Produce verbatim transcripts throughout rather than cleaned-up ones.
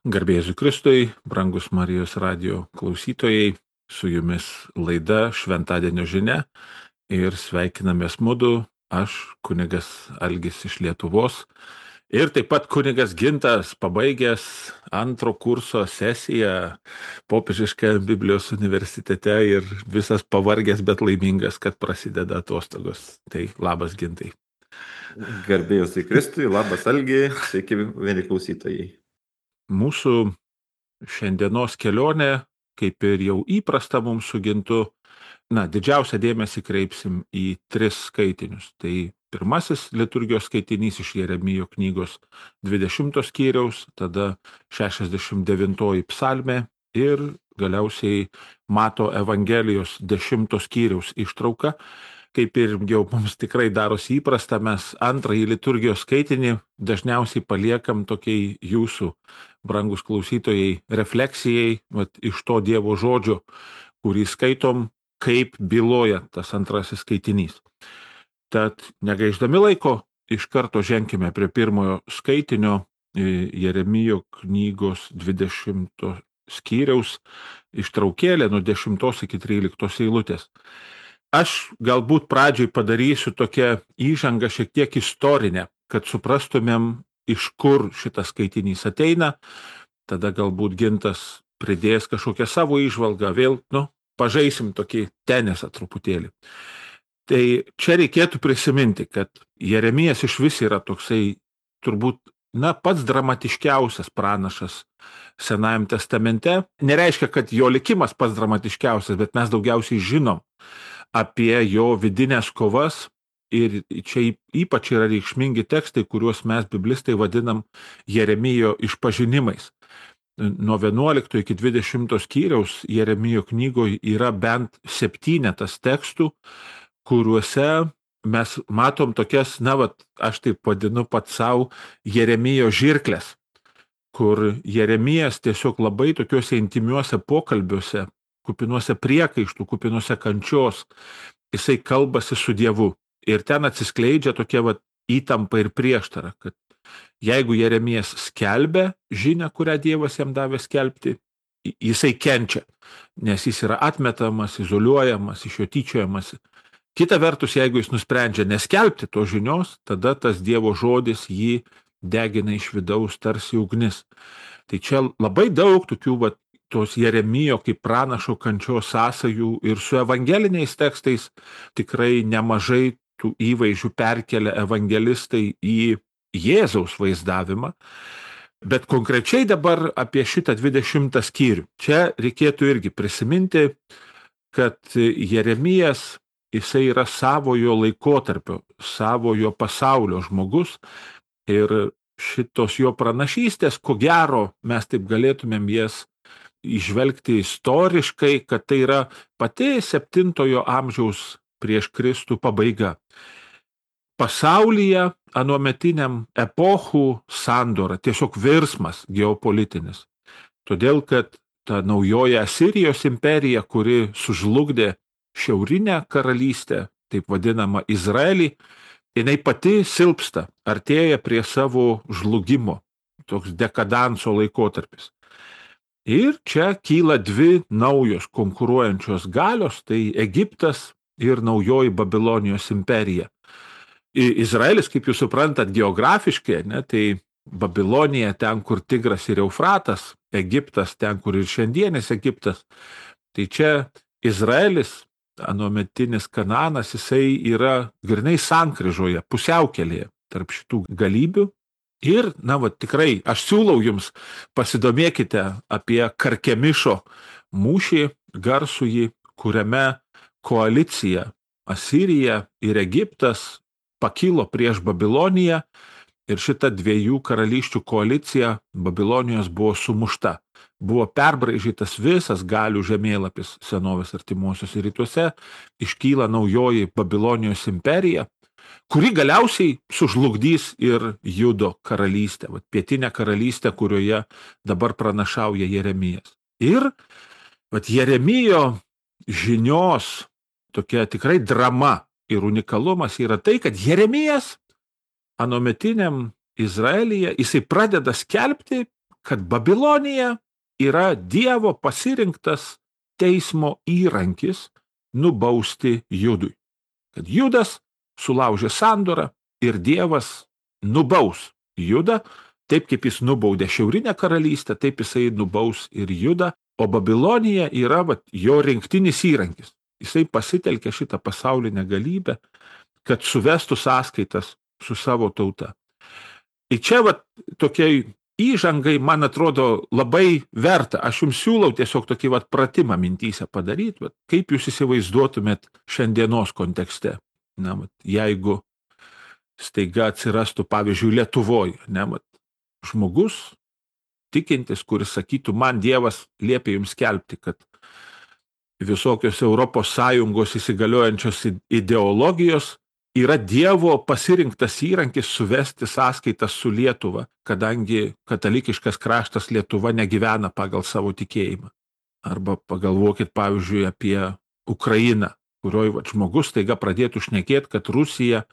Garbė Jėzui Kristui, brangus Marijos radijo klausytojai, su jumis laida Šventadienio žinia ir sveikinamės mudu, aš kunigas Algis iš Lietuvos ir taip pat kunigas Gintas, pabaigęs antro kurso sesiją Popiežiškajame Biblijos universitete ir visas pavargęs, bet laimingas, kad prasideda atostogos. Tai labas Gintai. Garbė Jėzui Kristui, labas Algi, sveiki vieni klausytojai. Mūsų šiandienos kelionė, kaip ir jau įprasta mums su Gintu, na, didžiausią dėmesį kreipsim į tris skaitinius. Tai pirmasis liturgijos skaitinys iš Jeremijo knygos dvidešimto skyriaus, tada šešiasdešimt devintoji psalmė ir galiausiai Mato Evangelijos dešimto skyriaus ištrauka. Kaip ir jau mums tikrai darosi įprasta, mes antrąjį liturgijos skaitinį dažniausiai paliekam tokiai jūsų, brangus klausytojai, refleksijai, vat, iš to Dievo žodžio, kurį skaitom, kaip byloja tas antrasis skaitinys. Tad negaiždami laiko, iš karto ženkime prie pirmojo skaitinio Jeremijo knygos dvidešimto skyriaus ištraukėlė nuo dešimtos iki tryliktos eilutės. Aš galbūt pradžiai padarysiu tokią įžangą šiek tiek istorinę, kad suprastumėm, iš kur šitas skaitinys ateina, tada galbūt Gintas pridės kažkokią savo įžvalgą, vėl, nu, pažaisim tokį tenisą truputėlį. Tai čia reikėtų prisiminti, kad Jeremijas iš vis yra toksai turbūt, na, pats dramatiškiausias pranašas Senajam testamente. Nereiškia, kad jo likimas pats dramatiškiausias, bet mes daugiausiai žinom apie jo vidinės kovas ir čia ypač yra reikšmingi tekstai, kuriuos mes biblistai vadinam Jeremijo išpažinimais. Nuo vienuolikto iki dvidešimto skyriaus Jeremijo knygoje yra bent septynetas tekstų, kuriuose mes matom tokias, na, vat, aš taip vadinu pats savo Jeremijo žirklės, kur Jeremijas tiesiog labai tokiuose intimiuose pokalbiuose, kupinuose priekaištų, kupinuose kančios, jisai kalbasi su Dievu. Ir ten atsiskleidžia tokia vat, įtampa ir prieštara, kad jeigu Jeremijas skelbia žinią, kurią Dievas jam davė skelbti, jisai kenčia, nes jis yra atmetamas, izoliuojamas, iš jo tyčiojamas. Kita vertus, jeigu jis nusprendžia neskelbti to žinios, tada tas Dievo žodis jį degina iš vidaus tarsi ugnis. Tai čia labai daug tokių vat, tos Jeremijo kaip pranašo kančios sąsajų ir su evangeliniais tekstais tikrai nemažai tų įvaizdžių perkelia evangelistai į Jėzaus vaizdavimą. Bet konkrečiai dabar apie šitą dvidešimtą skyrių. Čia reikėtų irgi prisiminti, kad Jeremijas, jisai yra savojo laikotarpio, savojo pasaulio žmogus ir šitos jo pranašystės, ko gero, mes taip galėtumėm jas išvelgti istoriškai, kad tai yra pati septintojo amžiaus prieš Kristų pabaiga. Pasaulyje anuometiniam epochų sandora, tiesiog virsmas geopolitinis. Todėl, kad ta naujoji Asirijos imperija, kuri sužlugdė šiaurinę karalystę, taip vadinamą Izraelį, jinai pati silpsta, artėja prie savo žlugimo, toks dekadanso laikotarpis. Ir čia kyla dvi naujos konkuruojančios galios, tai Egiptas ir naujoji Babilonijos imperija. Izraelis, kaip jūs suprantat, geografiškai, ne, tai Babilonija ten, kur Tigras ir Eufratas, Egiptas ten, kur ir šiandienis Egiptas. Tai čia Izraelis, anuometinis Kanaanas, jisai yra grynai sankryžoje, pusiaukelėje tarp šitų galybių. Ir, na, va, tikrai, aš siūlau jums pasidomėkite apie Karkemišo mūšį garsųjį, kuriame koalicija Asirija ir Egiptas pakilo prieš Babiloniją ir šita dviejų karalysčių koalicija Babilonijos buvo sumušta. Buvo perbraižytas visas galių žemėlapis senovės artimuosiuose rytuose, iškyla naujoji Babilonijos imperija, kuri galiausiai sužlugdys ir Judo karalystę, vat, pietinę karalystę, kurioje dabar pranašauja Jeremijas. Ir vat, Jeremijo žinios tokia tikrai drama ir unikalumas yra tai, kad Jeremijas anuometiniam Izraelyje jisai pradeda skelbti kad Babilonija yra Dievo pasirinktas teismo įrankis nubausti Judui. Kad Judas sulaužė sandorą ir Dievas nubaus Judą, taip kaip jis nubaudė šiaurinę karalystę, taip jisai nubaus ir Judą, o Babilonija yra vat, jo rinktinis įrankis. Jisai pasitelkė šitą pasaulinę galybę, kad suvestų sąskaitas su savo tauta. Ir čia vat, tokiai įžangai, man atrodo, labai verta. Aš jums siūlau tiesiog tokį vat, pratimą mintyse padaryti, vat, kaip jūs įsivaizduotumėt šiandienos kontekste. Na, vat, jeigu staiga atsirastų, pavyzdžiui, Lietuvoje, ne, vat, žmogus tikintis, kuris sakytų, man Dievas liepia jums skelbti, kad visokios Europos Sąjungos įsigaliojančios ideologijos yra Dievo pasirinktas įrankis suvesti sąskaitas su Lietuva, kadangi katalikiškas kraštas Lietuva negyvena pagal savo tikėjimą. Arba pagalvokit, pavyzdžiui, apie Ukrainą, kurioje vat, žmogus taiga pradėtų šnekėti, kad Rusija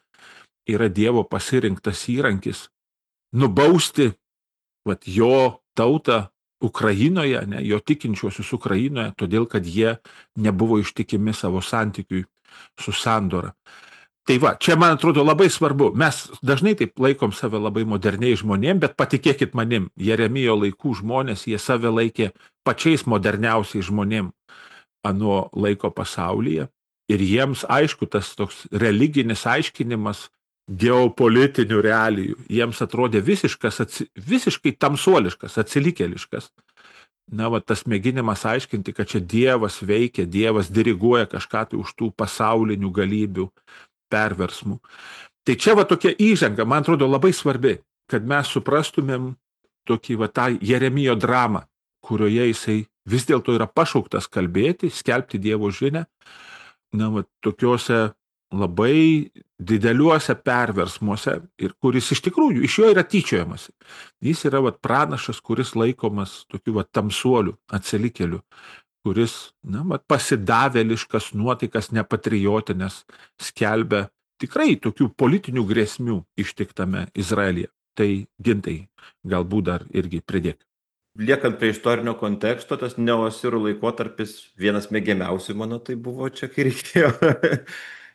yra Dievo pasirinktas įrankis nubausti vat, jo tautą Ukrainoje, ne, jo tikinčiuosius Ukrainoje, todėl, kad jie nebuvo ištikimi savo santykiui su sandora. Tai va, čia man atrodo labai svarbu. Mes dažnai taip laikom save labai moderniai žmonėm, bet patikėkit manim, Jeremijo laikų žmonės, jie save laikė pačiais moderniausiais žmonėm ano laiko pasaulyje. Ir jiems aišku, tas toks religinis aiškinimas geopolitinių realijų, jiems atrodė visiškas, visiškai tamsuoliškas, atsilikėliškas. Na, va, tas mėginimas aiškinti, kad čia Dievas veikia, Dievas diriguoja kažką tai už tų pasaulinių galybių perversmų. Tai čia va tokia įžanga, man atrodo, labai svarbi, kad mes suprastumėm tokį va tą Jeremijo dramą, kurioje jisai vis dėlto yra pašauktas kalbėti, skelbti Dievo žinią, na, va, tokiuose labai dideliuose perversmuose, ir kuris iš tikrųjų, iš jo yra tyčiojamasi. Jis yra vat, pranašas, kuris laikomas tokiu vat, tamsuoliu, atsilikėliu, kuris na, vat, pasidavėliškas nuotaikas nepatriotinės skelbia tikrai tokių politinių grėsmių ištiktame Izraelyje. Tai Gintai, galbūt dar irgi pridėk. Liekant prie istorinio konteksto, tas neosirų laikotarpis vienas mėgiamiausių mano tai buvo čia, kai reikėjo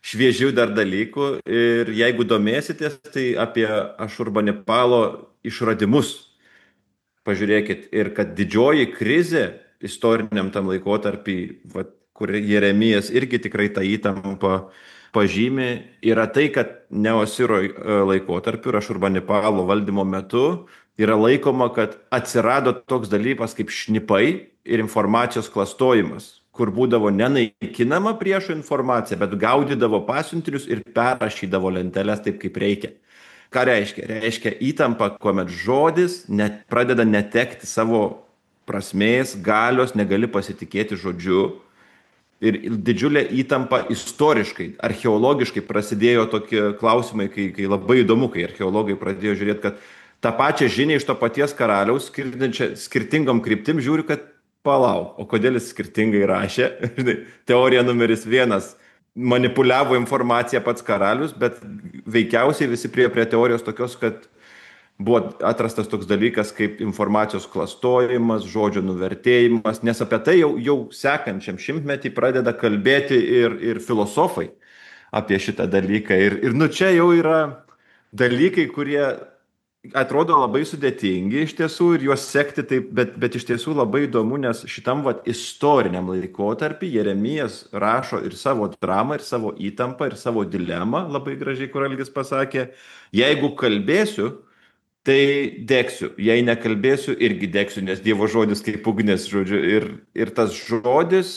šviežių dar dalykų. Ir jeigu domėsitės, tai apie Ašurbanipalo išradimus pažiūrėkit. Ir kad didžioji krizė istoriniam tam laikotarpį, va, kur Jeremijas irgi tikrai tą įtampą pažymi, yra tai, kad Neosiro laikotarpiu ir Ašurbanipalo valdymo metu yra laikoma, kad atsirado toks dalykas kaip šnipai ir informacijos klastojimas, kur būdavo nenaikinama priešo informacija, bet gaudydavo pasiuntinius ir perrašydavo lenteles taip, kaip reikia. Ką reiškia? Reiškia įtampa, kuomet žodis net, pradeda netekti savo prasmės, galios, negali pasitikėti žodžiu. Ir didžiulė įtampa istoriškai, archeologiškai prasidėjo tokie klausimai, kai, kai labai įdomu, kai archeologai pradėjo žiūrėti, kad tą pačią žinią iš to paties karaliaus, skirtingom kryptim žiūri, kad palauk, o kodėl jis skirtingai rašė? Teorija numeris vienas, manipuliavo informaciją pats karalius, bet veikiausiai visi prie, prie teorijos tokios, kad buvo atrastas toks dalykas kaip informacijos klastojimas, žodžio nuvertėjimas, nes apie tai jau, jau sekančiam šimtmetį pradeda kalbėti ir, ir filosofai apie šitą dalyką. Ir, ir nu čia jau yra dalykai, kurie atrodo labai sudėtingi iš tiesų ir juos sekti taip, bet, bet iš tiesų labai įdomu, nes šitam vat, istoriniam laikotarpį Jeremijas rašo ir savo dramą, ir savo įtampą, ir savo dilemą, labai gražiai, kur Algis pasakė, jeigu kalbėsiu, tai degsiu, jei nekalbėsiu, irgi degsiu, nes Dievo žodis kaip ugnis, žodžiu, ir, ir tas žodis,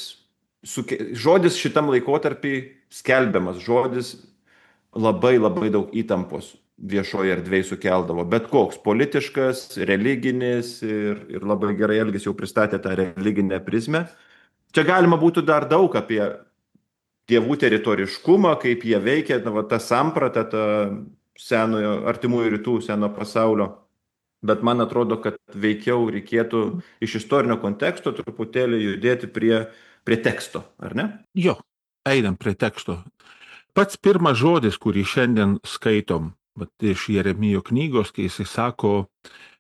suke, žodis šitam laikotarpį skelbiamas, žodis labai labai daug įtampos viešoje erdvėje sukeldavo, bet koks politiškas, religinis ir, ir labai gerai Algis jau pristatė tą religinę prizmę. Čia galima būtų dar daug apie dievų teritoriškumą, kaip jie veikia, na, va, ta samprata, ta senojo, artimųjų rytų, seno pasaulio, bet man atrodo, kad veikiau reikėtų iš istorinio konteksto truputėlį judėti prie, prie teksto, ar ne? Jo, einam prie teksto. Pats pirmas žodis, kurį šiandien skaitom, bet iš Jeremijo knygos, kai jisai sako,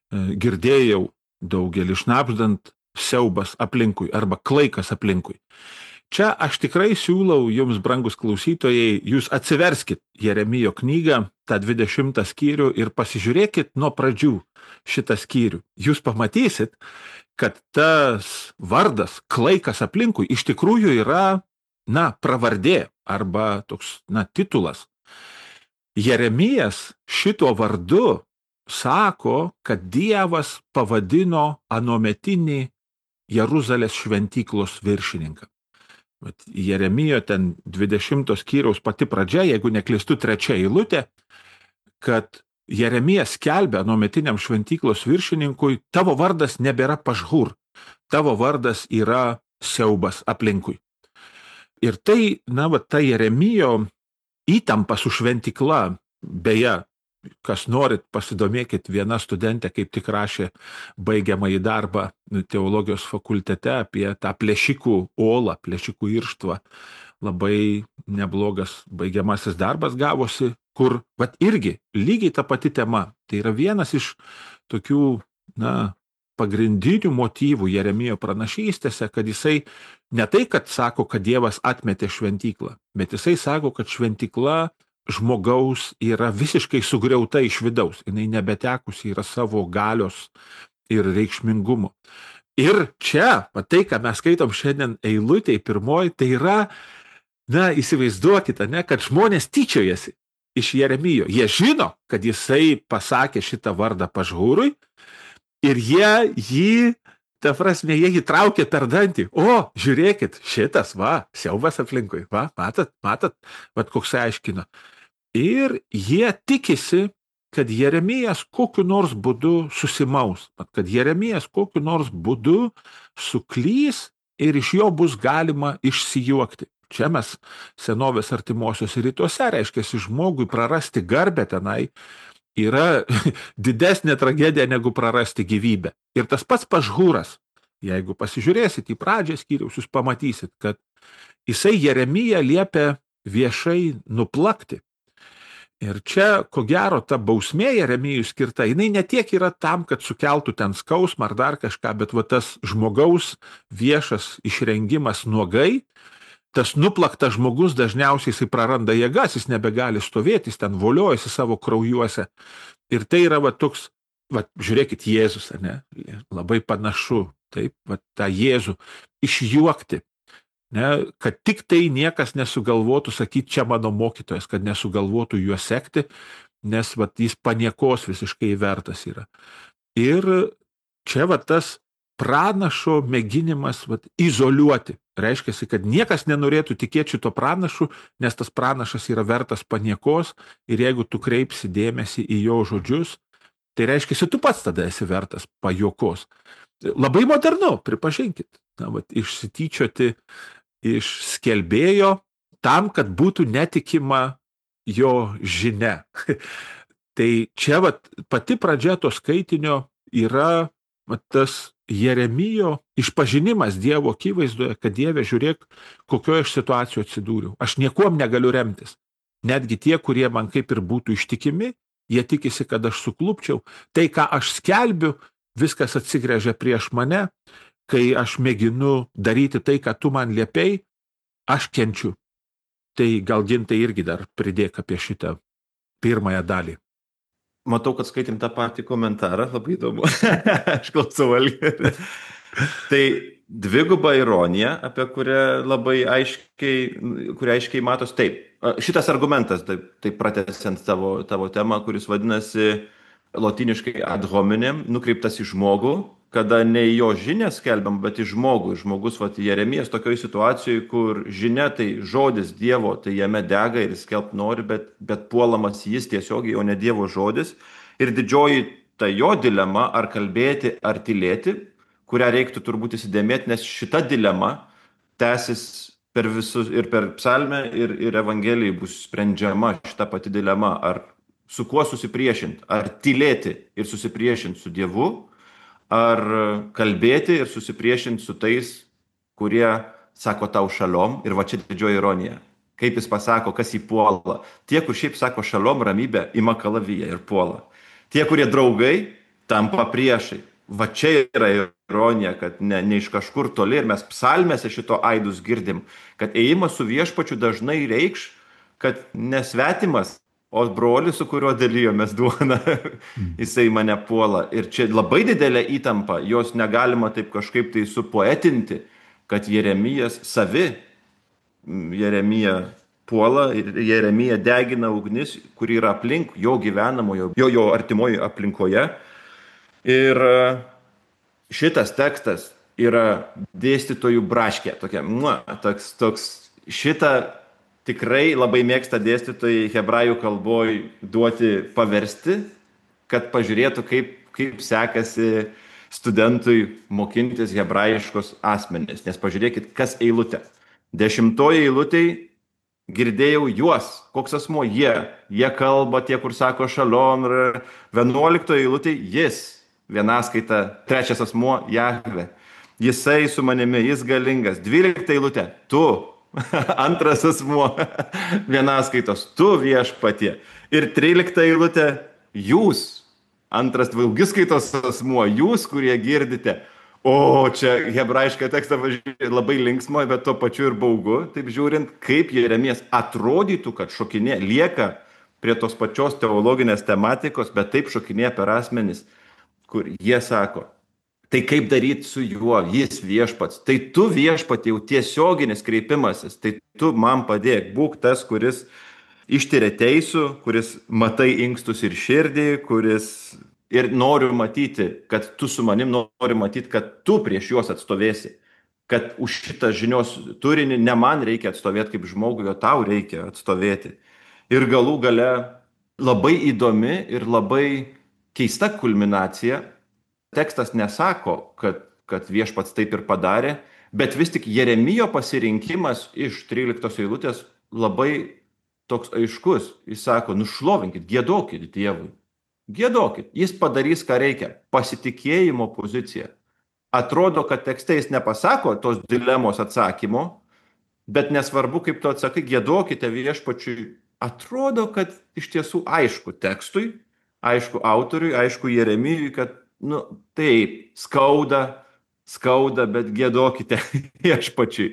girdėjau daugelį šnabždant siaubas aplinkui arba klaikas aplinkui. Čia aš tikrai siūlau jums, brangus klausytojai, jūs atsiverskit Jeremijo knygą, tą dvidešimtą skyrių ir pasižiūrėkit nuo pradžių šitą skyrių. Jūs pamatysit, kad tas vardas klaikas aplinkui iš tikrųjų yra, na, pravardė arba toks, na, titulas. Jeremijas šito vardu sako, kad Dievas pavadino anuometinį Jeruzalės šventyklos viršininką. Bet Jeremijo ten dvidešimtos skyriaus pati pradžia, jeigu neklystu trečia eilutė, kad Jeremijas skelbia anuometiniam šventyklos viršininkui, tavo vardas nebėra pažhur, tavo vardas yra siaubas aplinkui. Ir tai, na, va, ta Jeremijo įtampa su šventykla, beje, kas norit, pasidomėkit, viena studentė kaip tik rašė baigiamąjį darbą teologijos fakultete apie tą plėšikų olą, plėšikų irštvą. Labai neblogas baigiamasis darbas gavosi, kur, vat irgi, lygiai ta pati tema. Tai yra vienas iš tokių, na, pagrindinių motyvų Jeremijo pranašystėse, kad jisai ne tai, kad sako, kad Dievas atmetė šventyklą, bet jisai sako, kad šventykla žmogaus yra visiškai sugriauta iš vidaus. Jinai nebetekusi yra savo galios ir reikšmingumo. Ir čia, va tai, ką mes skaitom šiandien eilutėj pirmoji, tai yra, na, įsivaizduokite, ne, kad žmonės tyčiojasi iš Jeremijo. Jie žino, kad jisai pasakė šitą vardą pažhūrui ir jie jį, ta prasme, jie jį traukė per dantį. O, žiūrėkit, šitas, va, siaubas aplinkui, va, matot, matot, va, koks aiškino. Ir jie tikisi, kad Jeremijas kokiu nors būdu susimaus, kad Jeremijas kokiu nors būdu suklys ir iš jo bus galima išsijuokti. Čia mes senovės artimuosiuose rytuose, reiškia, žmogui prarasti garbę tenai yra didesnė tragedija negu prarasti gyvybę. Ir tas pats pažhūras, jeigu pasižiūrėsit į pradžią skyriaus, jūs pamatysit, kad jisai Jeremiją liepia viešai nuplakti. Ir čia, ko gero, ta bausmė Jeremijui skirta, jinai ne tiek yra tam, kad sukeltų ten skausmą ar dar kažką, bet va tas žmogaus viešas išrengimas nuogai, tas nuplaktas žmogus dažniausiai jisai praranda jėgas, jis nebegali stovėti, jis ten voliojasi savo kraujuose. Ir tai yra va toks, va, žiūrėkit, Jėzus, ne, labai panašu, taip, va tą Jėzų išjuokti. Ne, kad tik tai niekas nesugalvotų sakyti, čia mano mokytojas, kad nesugalvotų juo sekti, nes vat, jis paniekos visiškai vertas yra. Ir čia vat, tas pranašo mėginimas vat, izoliuoti. Reiškia, kad niekas nenorėtų tikėti šito pranašu, nes tas pranašas yra vertas paniekos ir jeigu tu kreipsi dėmesį į jo žodžius, tai reiškia, tu pats tada esi vertas pajuokos. Labai modernu, pripažinkit, na, vat, išsityčioti iš skelbėjo tam, kad būtų netikima jo žinia. Tai čia vat, pati pradžia to skaitinio yra vat, tas Jeremijo išpažinimas Dievo akivaizdoje, kad Dieve, žiūrėk, kokioje aš situacijoje atsidūriau. Aš niekuom negaliu remtis. Netgi tie, kurie man kaip ir būtų ištikimi, jie tikisi, kad aš suklupčiau. Tai, ką aš skelbiu, viskas atsigręžia prieš mane. Kai aš mėginu daryti tai, ką tu man liepei, aš kenčiu. Tai gal Gintai irgi dar pridėk apie šitą pirmąją dalį. Matau, kad skaitėm tą patį komentarą, labai įdomu. Aš klausau Algį. Tai dviguba ironija, apie kurią labai aiškiai, kurią aiškiai matos. Taip, šitas argumentas, taip, taip pratęsiant tavo, tavo temą, kuris vadinasi lotyniškai ad hominem, nukreiptas į žmogų, kada ne į jo žinią skelbiam, bet į žmogų. Žmogus, vat, Jeremijas tokioje situacijoje, kur žinia tai žodis Dievo, tai jame dega ir skelbt nori, bet, bet puolamas jis tiesiogiai, o ne Dievo žodis. Ir didžioji ta jo dilema, ar kalbėti, ar tylėti, kurią reiktų turbūt įsidėmėti, nes šita dilema tęsis per visus, ir per psalmę, ir, ir evangelijai bus sprendžiama šita pati dilema, ar su kuo susipriešinti, ar tylėti ir susipriešinti su Dievu, ar kalbėti ir susipriešinti su tais, kurie sako tau šalom, ir va čia didžioji ironija. Kaip jis pasako, kas jį puola. Tie, kur šiaip sako šalom, ramybę, ima kalaviją ir puola. Tie, kurie draugai, tampa priešai. va čia yra ironija, kad ne, ne iš kažkur toli ir mes psalmėse šito aidus girdim, kad ėjimas su viešpačiu dažnai reikš, kad nesvetimas, o brolis, su kuriuo dalyjomės duoną, jisai mane puola. Ir čia labai didelė įtampa, jos negalima taip kažkaip tai supoetinti, kad Jeremijas savi, Jeremija puola ir Jeremija degina ugnis, kuri yra aplink jo gyvenamojo, jo, jo artimoje aplinkoje. Ir šitas tekstas yra dėstytojų braškė, tokia, mua, toks, toks, šitą tikrai labai mėgsta dėstytojai hebrajų kalboj duoti paversti, kad pažiūrėtų, kaip, kaip sekasi studentui mokintis hebrajiškos asmenys. Nes pažiūrėkit, kas eilutė. Dešimtoji eilutėj girdėjau juos, koks asmo jie. Jie kalba tie, kur sako šalom. Vienuoliktoji eilutėj jis, vienaskaita, trečias asmo Jahve. Jisai su manimi, jis galingas. Dvylikta eilutė, tu. Antras asmuo vienaskaitos, tu viešpatie. Ir trylikta eilutė, jūs. Antras daugiskaitos asmuo, jūs, kurie girdite. O čia hebrajišką tekstą labai linksmo, bet tuo pačiu ir baugu, taip žiūrint, kaip Jeremijas atrodytų, kad šokinė, lieka prie tos pačios teologinės tematikos, bet taip šokinė per asmenis, kur jie sako, tai kaip daryti su juo, jis viešpats. Tai tu viešpat jau tiesioginis kreipimasis, tai tu man padėk, būk tas, kuris ištiria teisų, kuris matai inkstus ir širdį, kuris ir noriu matyti, kad tu su manim nori matyti, kad tu prieš juos atstovėsi, kad už šitą žinios turinį ne man reikia atstovėti kaip žmogui, o tau reikia atstovėti. Ir galų gale labai įdomi ir labai keista kulminacija. Tekstas nesako, kad, kad viešpats taip ir padarė, bet vis tik Jeremijo pasirinkimas iš tryliktos eilutės labai toks aiškus. Jis sako, nušlovinkit, giedokit Dievui. Giedokit, jis padarys, ką reikia. Pasitikėjimo pozicija. Atrodo, kad tekste jis nepasako tos dilemos atsakymo, bet nesvarbu, kaip tu atsakai, giedokite viešpačiui. Atrodo, kad iš tiesų aišku tekstui, aišku autoriui, aišku Jeremijui, kad nu, taip, skauda, skauda, bet giedokite viešpačiui.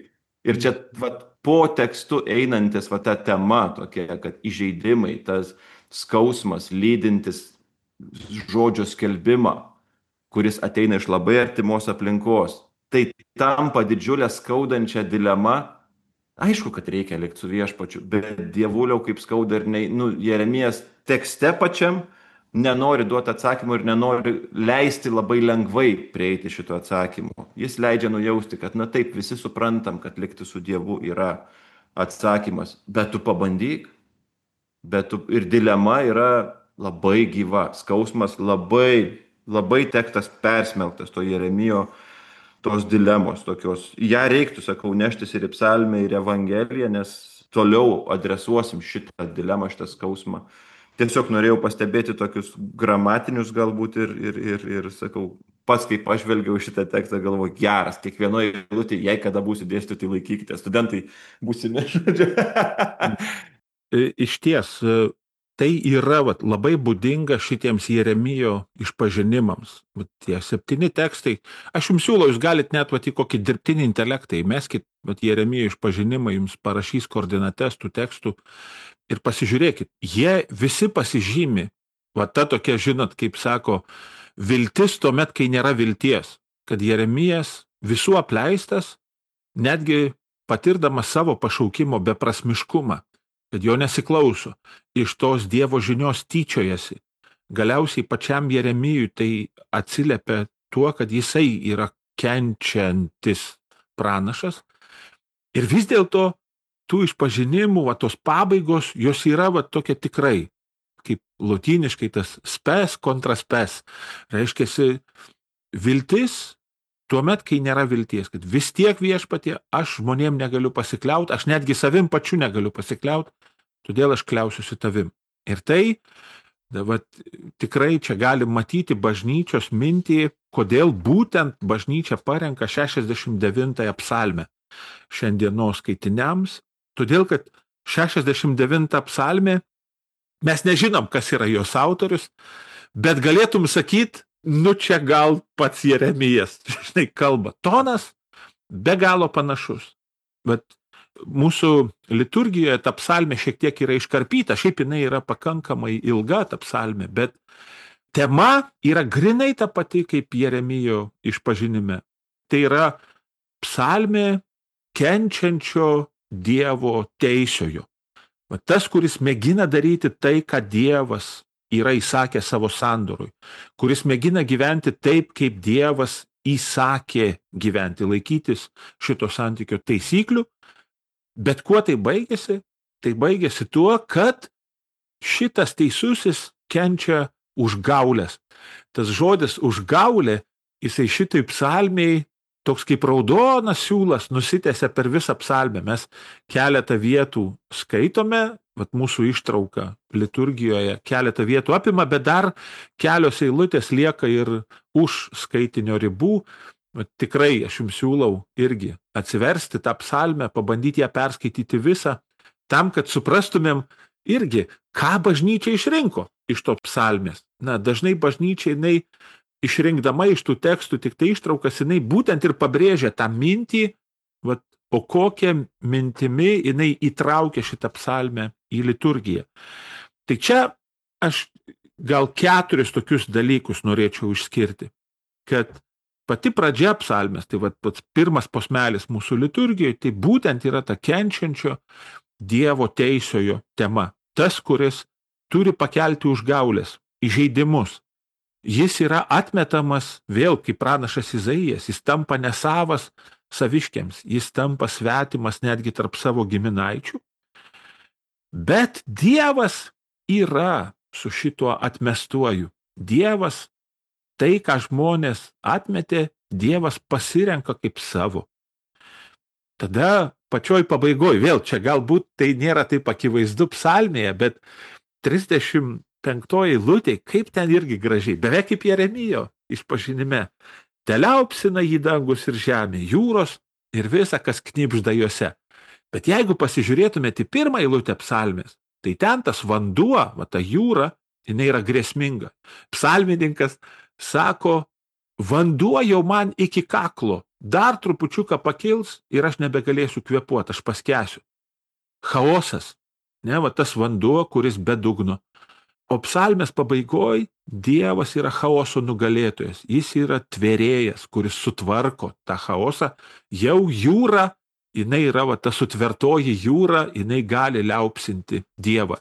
Ir čia vat, po tekstu einantis va, ta tema tokia, kad įžeidimai, tas skausmas, lydintis žodžio skelbimą, kuris ateina iš labai artimos aplinkos, tai tampa didžiulę skaudančią dilemą. Aišku, kad reikia likti su viešpačiu, bet dievuliau kaip skauda ir ne, nu, Jeremijas tekste pačiam nenori duoti atsakymų ir nenori leisti labai lengvai prieiti šito atsakymo. Jis leidžia nujausti, kad na taip, visi suprantam, kad likti su Dievu yra atsakymas, bet tu pabandyk, bet tu, ir dilema yra labai gyva, skausmas labai, labai tekstas persmelktas to Jeremijo, tos dilemos tokios. Ja reiktų, sakau, neštis ir į psalmę, ir evangeliją, nes toliau adresuosim šitą dilemą, šitą skausmą. Tiesiog norėjau pastebėti tokius gramatinius galbūt ir, ir, ir, ir sakau, pats kaip aš žvelgiau šitą tekstą, galvoju, geras, kiekvienoje eilutėje, jei kada būsi dėstyti, laikykite, studentai būsime, žodžiu. Iš ties, tai yra vat, labai būdinga šitiems Jeremijo išpažinimams. Vat, tie septyni tekstai, aš jums siūlau, jūs galite net vat, į kokį dirbtinį intelektą įmeskit, vat, Jeremijo išpažinimą, jums parašys koordinates tų tekstų. Ir pasižiūrėkit, jie visi pasižymi, va ta tokia, žinot, kaip sako, viltis tuomet, kai nėra vilties, kad Jeremijas visų apleistas, netgi patirdamas savo pašaukimo beprasmiškumą, kad jo nesiklauso, iš tos Dievo žinios tyčiojasi. Galiausiai pačiam Jeremijui tai atsiliepia tuo, kad jisai yra kenčiantis pranašas ir vis dėlto tų išpažinimų, va, tos pabaigos, jos yra va, tokia tikrai, kaip lotyniškai tas spes kontra spes. Reiškiasi viltis tuomet, kai nėra vilties, kad vis tiek viešpatie, aš žmonėm negaliu pasikliauti, aš netgi savim pačiu negaliu pasikliauti, todėl aš kliausiuosi tavim. Ir tai, va, tikrai čia galim matyti bažnyčios mintį, kodėl būtent bažnyčia parenka šešiasdešimt devintąją psalmę šiandienos skaitiniams. Todėl, kad šešiasdešimt devinta psalmė, mes nežinom, kas yra jos autorius, bet galėtum sakyti, nu čia gal pats Jeremijas, žinai, kalba. Tonas be galo panašus. Bet mūsų liturgijoje ta psalmė šiek tiek yra iškarpyta, šiaip jinai yra pakankamai ilga ta psalmė, bet tema yra grinai ta pati kaip Jeremijo išpažinime. Tai yra psalmė kenčiančio Dievo teisiojo. Va tas, kuris mėgina daryti tai, ką Dievas yra įsakę savo sandorui, kuris mėgina gyventi taip, kaip Dievas įsakė gyventi, laikytis šito santykio taisyklių, bet kuo tai baigėsi? Tai baigėsi tuo, kad šitas teisusis kenčia užgaulės. Tas žodis užgaulė, jisai šitai psalmiai toks kaip raudonas siūlas nusitęsia per visą psalmę. Mes keletą vietų skaitome, vat mūsų ištrauka liturgijoje keletą vietų apima, bet dar kelios eilutės lieka ir už skaitinio ribų. Vat tikrai aš jums siūlau irgi atsiversti tą psalmę, pabandyti ją perskaityti visą, tam, kad suprastumėm irgi, ką bažnyčia išrinko iš to psalmės. Na, dažnai bažnyčia jinai išrinkdama iš tų tekstų tik tai ištraukas, jinai būtent ir pabrėžia tą mintį, vat, o kokią mintimi jinai įtraukia šitą psalmę į liturgiją. Tai čia aš gal keturis tokius dalykus norėčiau išskirti, kad pati pradžia psalmės, tai vat, pats pirmas posmelis mūsų liturgijoje, tai būtent yra ta kenčiančio Dievo teisiojo tema. Tas, kuris turi pakelti užgaulės, įžeidimus. Jis yra atmetamas vėl kaip pranašas Izaijas, jis tampa nesavas saviškiams, jis tampa svetimas netgi tarp savo giminaičių. Bet Dievas yra su šituo atmestuoju. Dievas, tai, ką žmonės atmetė, Dievas pasirenka kaip savo. Tada pačioj pabaigoje, vėl čia galbūt tai nėra taip akivaizdu psalmėje, bet trisdešimt penktoji eilutė, kaip ten irgi gražiai, beveik kaip Jeremijo išpažinime. Teliaupsina jį dangus ir žemė, jūros ir visa, kas knibžda juose. Bet jeigu pasižiūrėtumėte į pirmą eilutę psalmės, tai ten tas vanduo, va ta jūra, jinai yra grėsminga. Psalmininkas sako, vanduo jau man iki kaklo, dar trupučiuką pakils ir aš nebegalėsiu kvėpuoti, aš paskęsiu. Chaosas, ne, va tas vanduo, kuris be dugno. O psalmės pabaigoj Dievas yra chaoso nugalėtojas, jis yra tvėrėjas, kuris sutvarko tą chaosą. Jau jūra, jinai yra va ta sutvertoji jūra, jinai gali liaupsinti Dievą.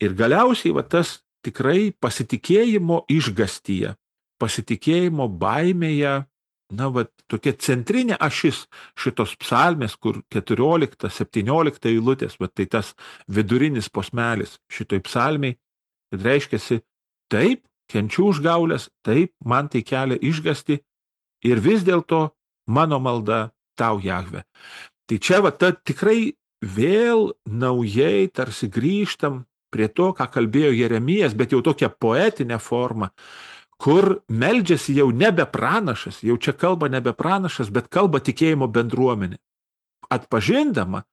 Ir galiausiai va tas tikrai pasitikėjimo išgastyje, pasitikėjimo baimėje, na, va, tokia centrinė ašis šitos psalmės, kur keturiolikta, septyniolikta eilutės, va, tai tas vidurinis posmelis šitoj psalmiai, kad reiškiasi, taip, kenčiu užgaulės, taip, man tai kelia išgąstį ir vis dėlto mano malda tau, Jahve. Tai čia va, ta tikrai vėl naujai tarsi grįžtam prie to, ką kalbėjo Jeremijas, bet jau tokia poetinė forma, kur meldžiasi jau nebe pranašas, jau čia kalba nebe pranašas, bet kalba tikėjimo bendruomenė. Atpažindama,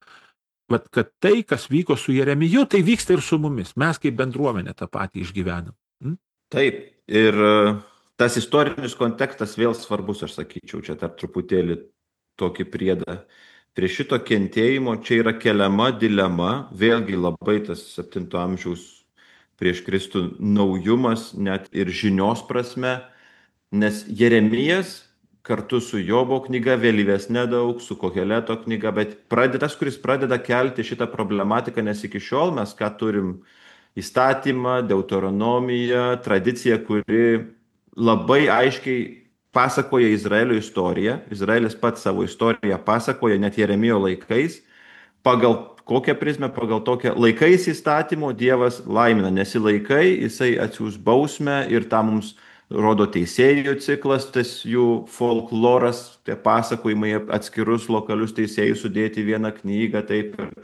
vat, kad tai, kas vyko su Jeremiju, tai vyksta ir su mumis. Mes kaip bendruomenė tą patį išgyvenam. Hm? Taip, ir tas istorinis kontekstas vėl svarbus, aš sakyčiau, čia dar truputėlį tokį priedą. Prie šito kentėjimo čia yra keliama dilema, vėlgi labai tas septinto amžiaus prieš Kristų naujumas, net ir žinios prasme, nes Jeremijas kartu su Jobo knyga, vėlyvesnė daug, su Koheleto knyga, bet pradedas, kuris pradeda kelti šitą problematiką, nes iki šiol mes ką turim įstatymą, deuteronomiją, tradiciją, kuri labai aiškiai pasakoja Izraelio istoriją. Izraelis pats savo istoriją pasakoja net Jeremijo laikais, pagal kokią prizmę, pagal tokią laikais įstatymo Dievas laimina, nesilaikai, jisai atsiųs bausmę ir tą mums rodo teisėjų ciklas, tas jų folkloras, tie pasakojimai atskirus lokalius teisėjus sudėti vieną knygą, taip ir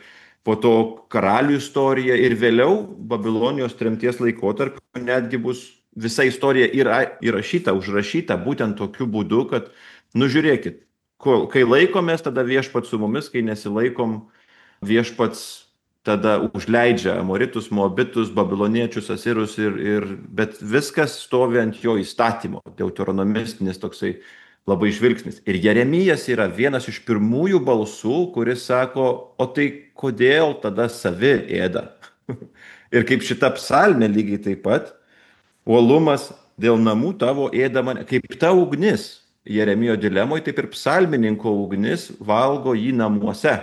po to karalių istorija ir vėliau Babilonijos tremties laikotarpiu netgi bus visa istorija yra įrašyta, užrašyta būtent tokiu būdu, kad, nu žiūrėkit, kai laikomės, tada viešpats su mumis, kai nesilaikom, viešpats tada užleidžia amoritus, moabitus, babiloniečius, asirus, ir, ir, bet viskas stovi ant jo įstatymo, deuteronomistinis toksai labai žvilgsnis. Ir Jeremijas yra vienas iš pirmųjų balsų, kuris sako, o tai kodėl tada savi ėda? Ir kaip šita psalmė lygiai taip pat, uolumas dėl namų tavo ėda mane, kaip ta ugnis Jeremijo dilemoje, taip ir psalmininko ugnis valgo jį namuose.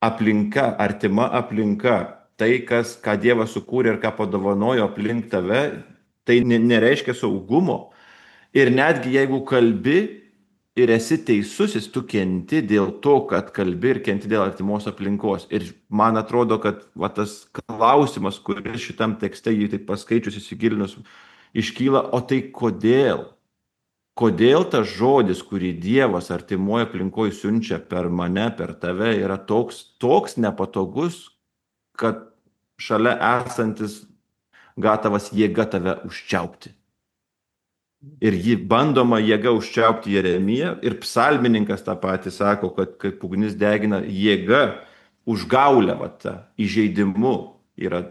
Aplinka, artima aplinka, tai, kas, ką Dievas sukūrė ir ką padovanojo aplink tave, tai nereiškia saugumo. Ir netgi jeigu kalbi ir esi teisusis, tu kenti dėl to, kad kalbi ir kenti dėl artimos aplinkos. Ir man atrodo, kad va, tas klausimas, kuris šitam tekste jį taip paskaičius, įsigilinus, iškyla, o tai kodėl? Kodėl tas žodis, kurį Dievas artimoje aplinkoje siunčia per mane, per tave, yra toks, toks nepatogus, kad šalia esantis gatavas jėga tave užčiaupti. Ir jį bandoma jėga užčiaupti Jeremiją, ir psalmininkas tą patį sako, kad kaip ugnis degina jėga, užgaulę, va, tą įžeidimu, yra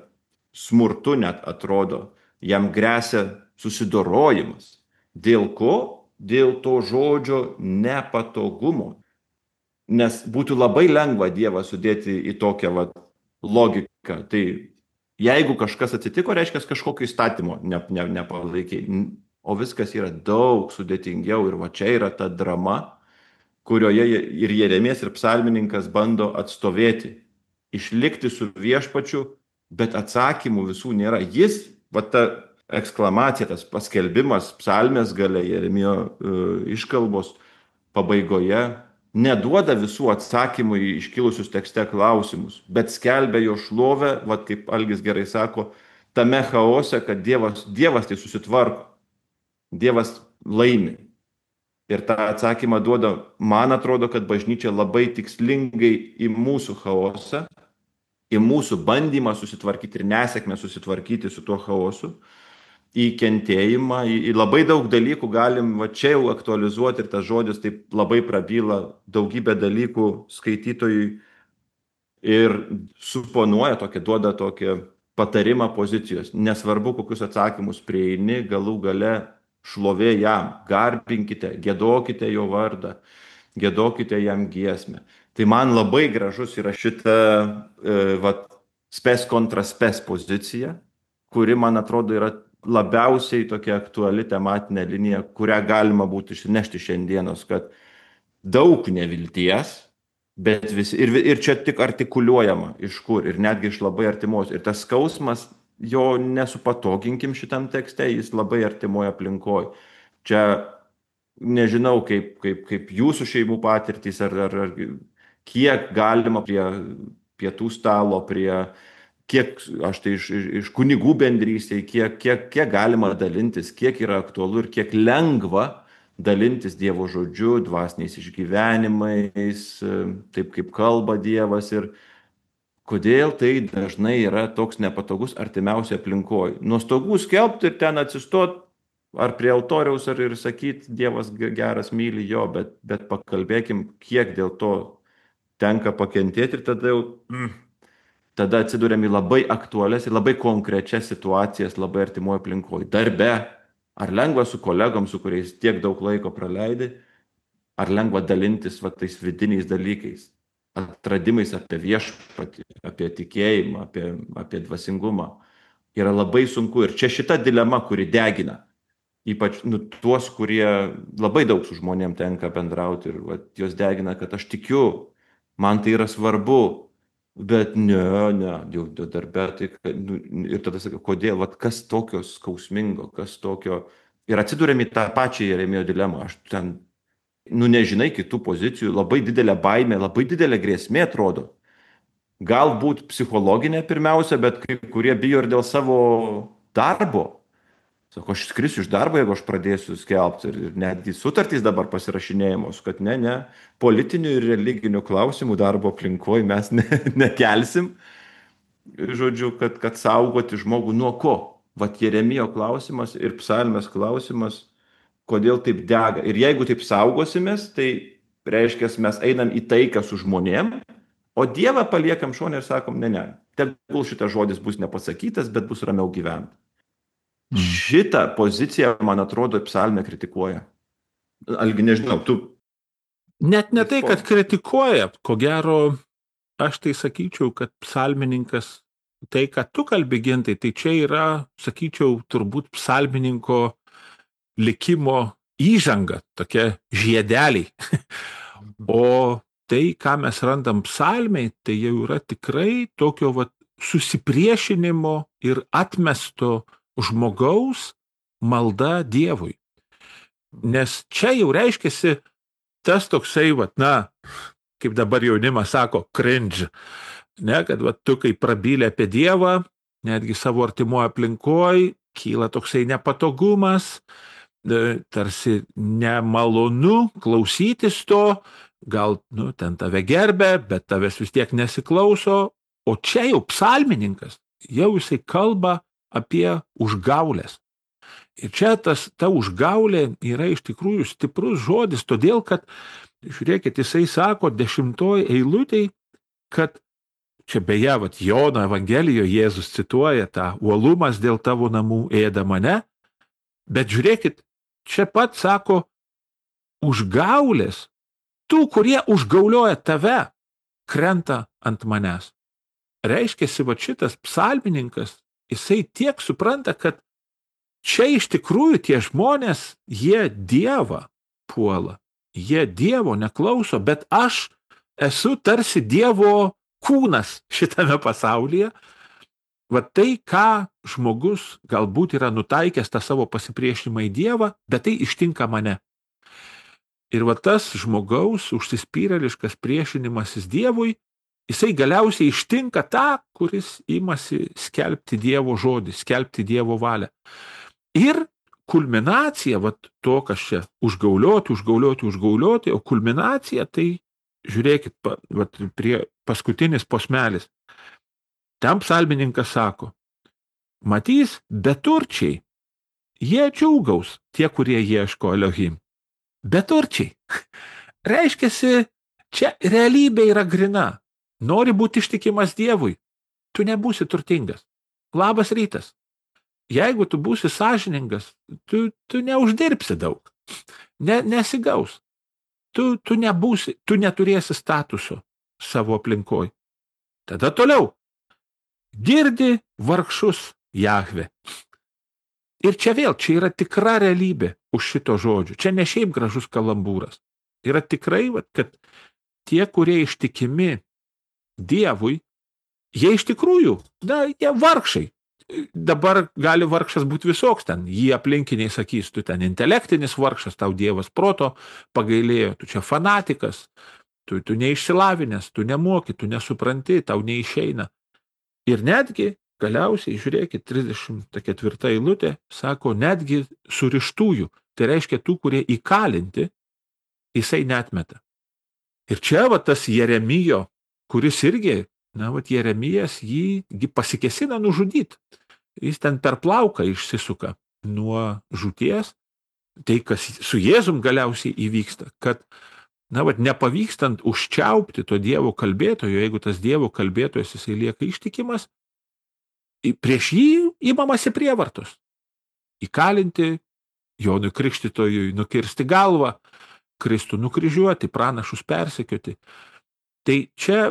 smurtu net atrodo, jam gresia susidorojimas. Dėl ko? Dėl to žodžio nepatogumo. Nes būtų labai lengva Dievą sudėti į tokią va, logiką. Tai jeigu kažkas atsitiko, reiškia kažkokio įstatymo ne, ne, nepalaikiai. O viskas yra daug sudėtingiau ir va čia yra ta drama, kurioje ir Jeremijas, ir psalmininkas bando atstovėti, išlikti su viešpačiu, bet atsakymų visų nėra. Jis, va ta eksklamacija, tas paskelbimas psalmės gale, Jeremijo uh, iškalbos pabaigoje, neduoda visų atsakymų į iškilusius tekste klausimus, bet skelbia jo šlovę, va kaip Algis gerai sako, tame chaose, kad Dievas, Dievas tai susitvarko. Dievas laimi. Ir tą atsakymą duoda, man atrodo, kad bažnyčia labai tikslingai į mūsų chaosą, į mūsų bandymą susitvarkyti ir nesėkmę susitvarkyti su tuo chaosu, į kentėjimą, į, į labai daug dalykų galim va čia jau aktualizuoti, ir tas žodis taip labai prabyla daugybę dalykų skaitytojui ir suponuoja tokį, duoda tokį patarimą pozicijos. Nesvarbu, kokius atsakymus prieini, galų gale šlovė jam, garbinkite, giedokite jo vardą, giedokite jam giesmę. Tai man labai gražus yra šita e, vat, spes kontra spes pozicija, kuri, man atrodo, yra labiausiai tokia aktuali tematinė linija, kurią galima būtų išsinešti šiandienos, kad daug nevilties, bet visi, ir, ir čia tik artikuliuojama iš kur, ir netgi iš labai artimos. Ir tas skausmas, jo nesupatoginkim šitam tekste, jis labai artimoje aplinkoje. Čia nežinau, kaip, kaip, kaip jūsų šeimų patirtys, ar, ar, ar kiek galima prie pietų stalo, prie kiek, aš tai iš, iš, iš kunigų bendrystėje, kiek, kiek, kiek galima dalintis, kiek yra aktualu ir kiek lengva dalintis Dievo žodžiu, dvasiniais išgyvenimais, taip kaip kalba Dievas, ir kodėl tai dažnai yra toks nepatogus artimiausiai aplinkoje. Nuo stogų skelbti ir ten atsistot, ar prie altoriaus, ar ir sakyti, Dievas geras, myli jo, bet, bet pakalbėkim, kiek dėl to tenka pakentėti, ir tada jau mm, tada atsiduriam į labai aktualias ir labai konkrečias situacijas labai artimoje aplinkoje. Darbe, ar lengva su kolegom, su kuriais tiek daug laiko praleidi, ar lengva dalintis va, tais vidiniais dalykais, atradimais apie viešpatį, apie tikėjimą, apie, apie dvasingumą. Yra labai sunku. Ir čia šita dilema, kuri degina, ypač nu, tuos, kurie labai daug su žmonėm tenka bendrauti, ir va, jos degina, kad aš tikiu, man tai yra svarbu, bet ne, ne, jau darbe, tai, nu, ir tada sakai, kodėl, va, kas tokio skausmingo, kas tokio, ir atsidūrėm į tą pačią Jeremijo dilemą. Aš ten nu nežinai kitų pozicijų, labai didelė baimė, labai didelė grėsmė atrodo. Galbūt psichologinė pirmiausia, bet kai kurie bijo ir dėl savo darbo. Sako, aš skrisiu iš darbo, jeigu aš pradėsiu skelbti, ir netgi sutartys dabar pasirašinėjamos, kad ne, ne, politinių ir religinių klausimų darbo aplinkoje mes ne, nekelsim. Žodžiu, kad, kad saugoti žmogų nuo ko? Vat Jeremijo klausimas ir psalmės klausimas, kodėl taip dega. Ir jeigu taip saugosimės, tai reiškia, mes einam į taiką su žmonėm, O Dievą paliekam šonę ir sakom, ne, ne, tegul šitas žodis bus nepasakytas, bet bus ramiau gyventi. Mm. Šitą poziciją, man atrodo, psalmė kritikuoja. Algi, nežinau, tu... Net ne tai, kad kritikuoja, ko gero, aš tai sakyčiau, kad psalmininkas, tai, kad tu kalbi, Gintai, tai čia yra, sakyčiau, turbūt psalmininko likimo įžanga, tokia žiedeliai. O tai, ką mes randam psalmiai, tai jau yra tikrai tokio vat, susipriešinimo ir atmesto žmogaus malda Dievui. Nes čia jau reiškiasi tas toksai, vat, na, kaip dabar jaunimas sako, cringe, ne, kad vat, tu kai prabylė apie Dievą, netgi savo artimoje aplinkoje, kyla toksai nepatogumas, tarsi nemalonu klausytis to, gal, nu, ten tave gerbė, bet tavęs vis tiek nesiklauso, o čia jau psalmininkas, jau jisai kalba apie užgaulės. Ir čia tas, ta užgaulė yra iš tikrųjų stiprus žodis, todėl, kad, žiūrėkit, jisai sako dešimtoj eilutėj, kad čia beje, vat, Jono Evangelijoje Jėzus cituoja tą uolumas dėl tavo namų ėda mane, bet žiūrėkit, čia pat sako užgaulės, tų, kurie užgaulioja tave, krenta ant manęs. Reiškiasi, va šitas psalmininkas, jisai tiek supranta, kad čia iš tikrųjų tie žmonės, jie Dievą puola, jie Dievo neklauso, bet aš esu tarsi Dievo kūnas šitame pasaulyje. Va tai, ką žmogus galbūt yra nutaikęs tą savo pasipriešinimą į Dievą, bet tai ištinka mane. Ir va tas žmogaus užsispyrėliškas priešinimasis Dievui, jisai galiausiai ištinka tą, kuris imasi skelbti Dievo žodį, skelbti Dievo valią. Ir kulminacija, va to, kas čia užgaulioti, užgaulioti, užgaulioti, o kulminacija, tai žiūrėkit, va, prie paskutinis posmelis. Ten psalmininkas sako, matys beturčiai, jie džiaugaus, tie, kurie ieško Elohim. Beturčiai. Reiškiasi, čia realybė yra grina. Nori būti ištikimas Dievui, tu nebūsi turtingas. Labas rytas. Jeigu tu būsi sąžiningas, tu, tu neuždirbsi daug. Ne, nesigaus. Tu, tu nebūsi, tu neturėsi statuso savo aplinkoj. Tada toliau. Girdi vargšus Jahve. Ir čia vėl, čia yra tikra realybė už šito žodžio. Čia ne šiaip gražus kalambūras. Yra tikrai, kad tie, kurie ištikimi Dievui, jie iš tikrųjų, na, jie vargšai. Dabar gali vargšas būti visoks ten. Jį aplinkiniai sakys, tu ten intelektinis vargšas, tau Dievas proto pagailėjo, tu čia fanatikas, tu, tu neišsilavinęs, tu nemoki, tu nesupranti, tau neišeina. Ir netgi, galiausiai, žiūrėkit, trisdešimt ketvirta eilutė, sako, netgi surištųjų, tai reiškia tų, kurie įkalinti, jisai netmeta. Ir čia va tas Jeremijo, kuris irgi, na, va Jeremijas jį pasikesina nužudyti. Jis ten per plauką išsisuka nuo žūties, tai kas su Jėzum galiausiai įvyksta, kad, na, va, nepavykstant užčiaupti to Dievo kalbėtojo, jeigu tas Dievo kalbėtojas jisai lieka ištikimas, prieš jį įmamasi prievartos. Įkalinti, Jonui Krikštytojui nukirsti galvą, Kristų nukryžiuoti, pranašus persekioti. Tai čia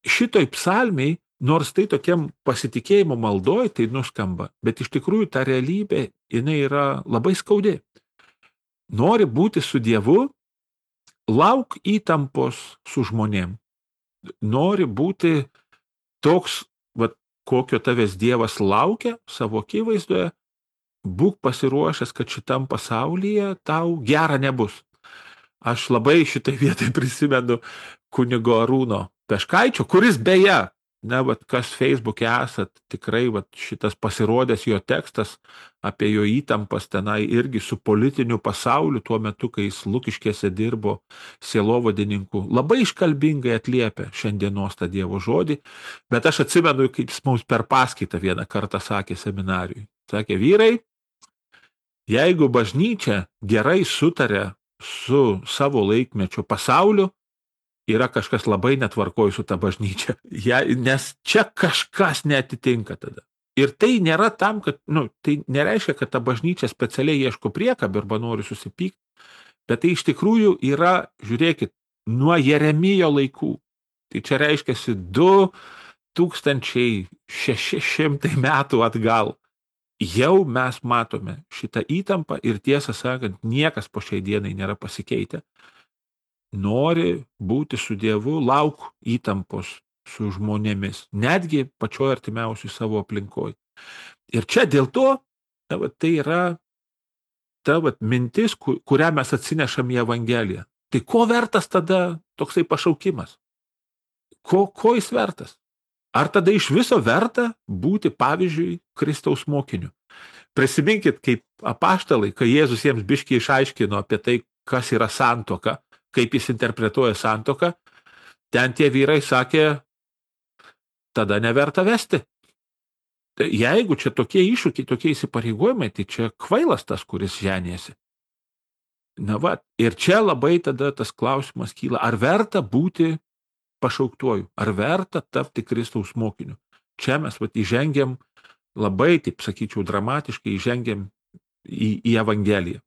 šitoj psalmiai, nors tai tokiam pasitikėjimo maldoj, tai nuskamba, bet iš tikrųjų ta realybė, jinai yra labai skaudi. Nori būti su Dievu, lauk įtampos su žmonėm. Nori būti toks, va, kokio tavęs Dievas laukia savo akivaizdoje, būk pasiruošęs, kad šitam pasaulyje tau gera nebus. Aš labai šitai vietai prisimenu kunigo Arūno Peškaičio, kuris beje, ne, vat, kas Facebook'e esat, tikrai vat, šitas pasirodęs jo tekstas apie jo įtampas tenai irgi su politiniu pasauliu tuo metu, kai jis Lukiškėse dirbo sielovadininku, labai iškalbingai atliepia šiandienos tą Dievo žodį, bet aš atsimenu, kaip jis mums per paskaitą vieną kartą sakė seminarijui. Sakė, vyrai, jeigu bažnyčia gerai sutarė su savo laikmečio pasauliu, yra kažkas labai netvarkoj su ta bažnyčia. Ja, nes čia kažkas neatitinka tada. Ir tai nėra tam, kad, nu, tai nereiškia, kad ta bažnyčia specialiai ieško priekabį arba nori susipykti, bet tai iš tikrųjų yra, žiūrėkit, nuo Jeremijo laikų. Tai čia reiškiasi du tūkstančiai šeši šimtai metų atgal. Jau mes matome šitą įtampą ir tiesą sakant, niekas po šiai dienai nėra pasikeitę. Nori būti su Dievu, lauk įtampos su žmonėmis, netgi pačioje artimiausiai savo aplinkoje. Ir čia dėl to, ta, va, tai yra ta va, mintis, kurią mes atsinešam į Evangeliją. Tai ko vertas tada toksai pašaukimas? Ko, ko jis vertas? Ar tada iš viso verta būti, pavyzdžiui, Kristaus mokiniu? Prisiminkit, kaip apaštalai, kai Jėzus jiems biškiai išaiškino apie tai, kas yra santuoka, kaip jis interpretuoja santuoką, ten tie vyrai sakė, tada neverta vesti. Tai jeigu čia tokie iššūkiai, tokie įsipareigojimai, tai čia kvailas tas, kuris ženėsi. Na va, ir čia labai tada tas klausimas kyla, ar verta būti pašauktuoju, ar verta tapti Kristaus mokiniu. Čia mes vat, įžengiam labai, taip sakyčiau, dramatiškai įžengiam į, į Evangeliją.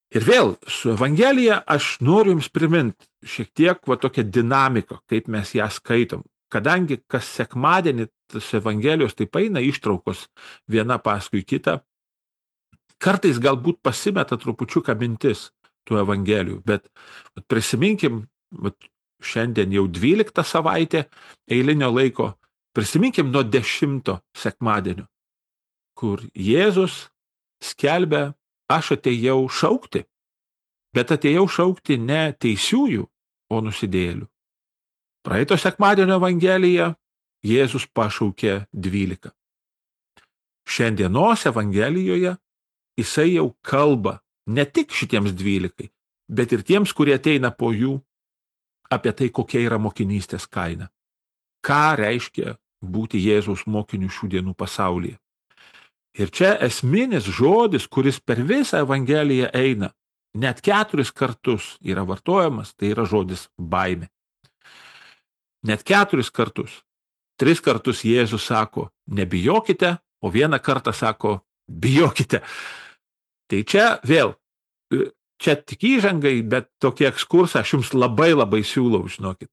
Ir vėl, su Evangelija aš noriu jums priminti šiek tiek va, tokią dinamiką, kaip mes ją skaitom. Kadangi kas sekmadienį tas Evangelijos taip eina ištraukos viena paskui kitą, kartais galbūt pasimeta trupučiuką mintis tų Evangelijų, bet vat, prisiminkim, vat, šiandien jau dvyliktą savaitę eilinio laiko, prisiminkim nuo dešimto sekmadienio, kur Jėzus skelbia, aš atėjau šaukti, bet atėjau šaukti ne teisiųjų, o nusidėjėlių. Praeito sekmadienio Evangelija Jėzus pašaukė dvylika. Šiandienos Evangelijoje jisai jau kalba ne tik šitiems dvylikai, bet ir tiems, kurie ateina po jų, apie tai, kokia yra mokinystės kaina. Ką reiškia būti Jėzaus mokiniu šių dienų pasaulyje. Ir čia esminis žodis, kuris per visą Evangeliją eina, net keturis kartus yra vartojamas, tai yra žodis baimė. Net keturis kartus. Tris kartus Jėzus sako, nebijokite, o vieną kartą sako, bijokite. Tai čia vėl, čia tik įžangai, bet tokį ekskursą aš jums labai labai siūlau, žinokit.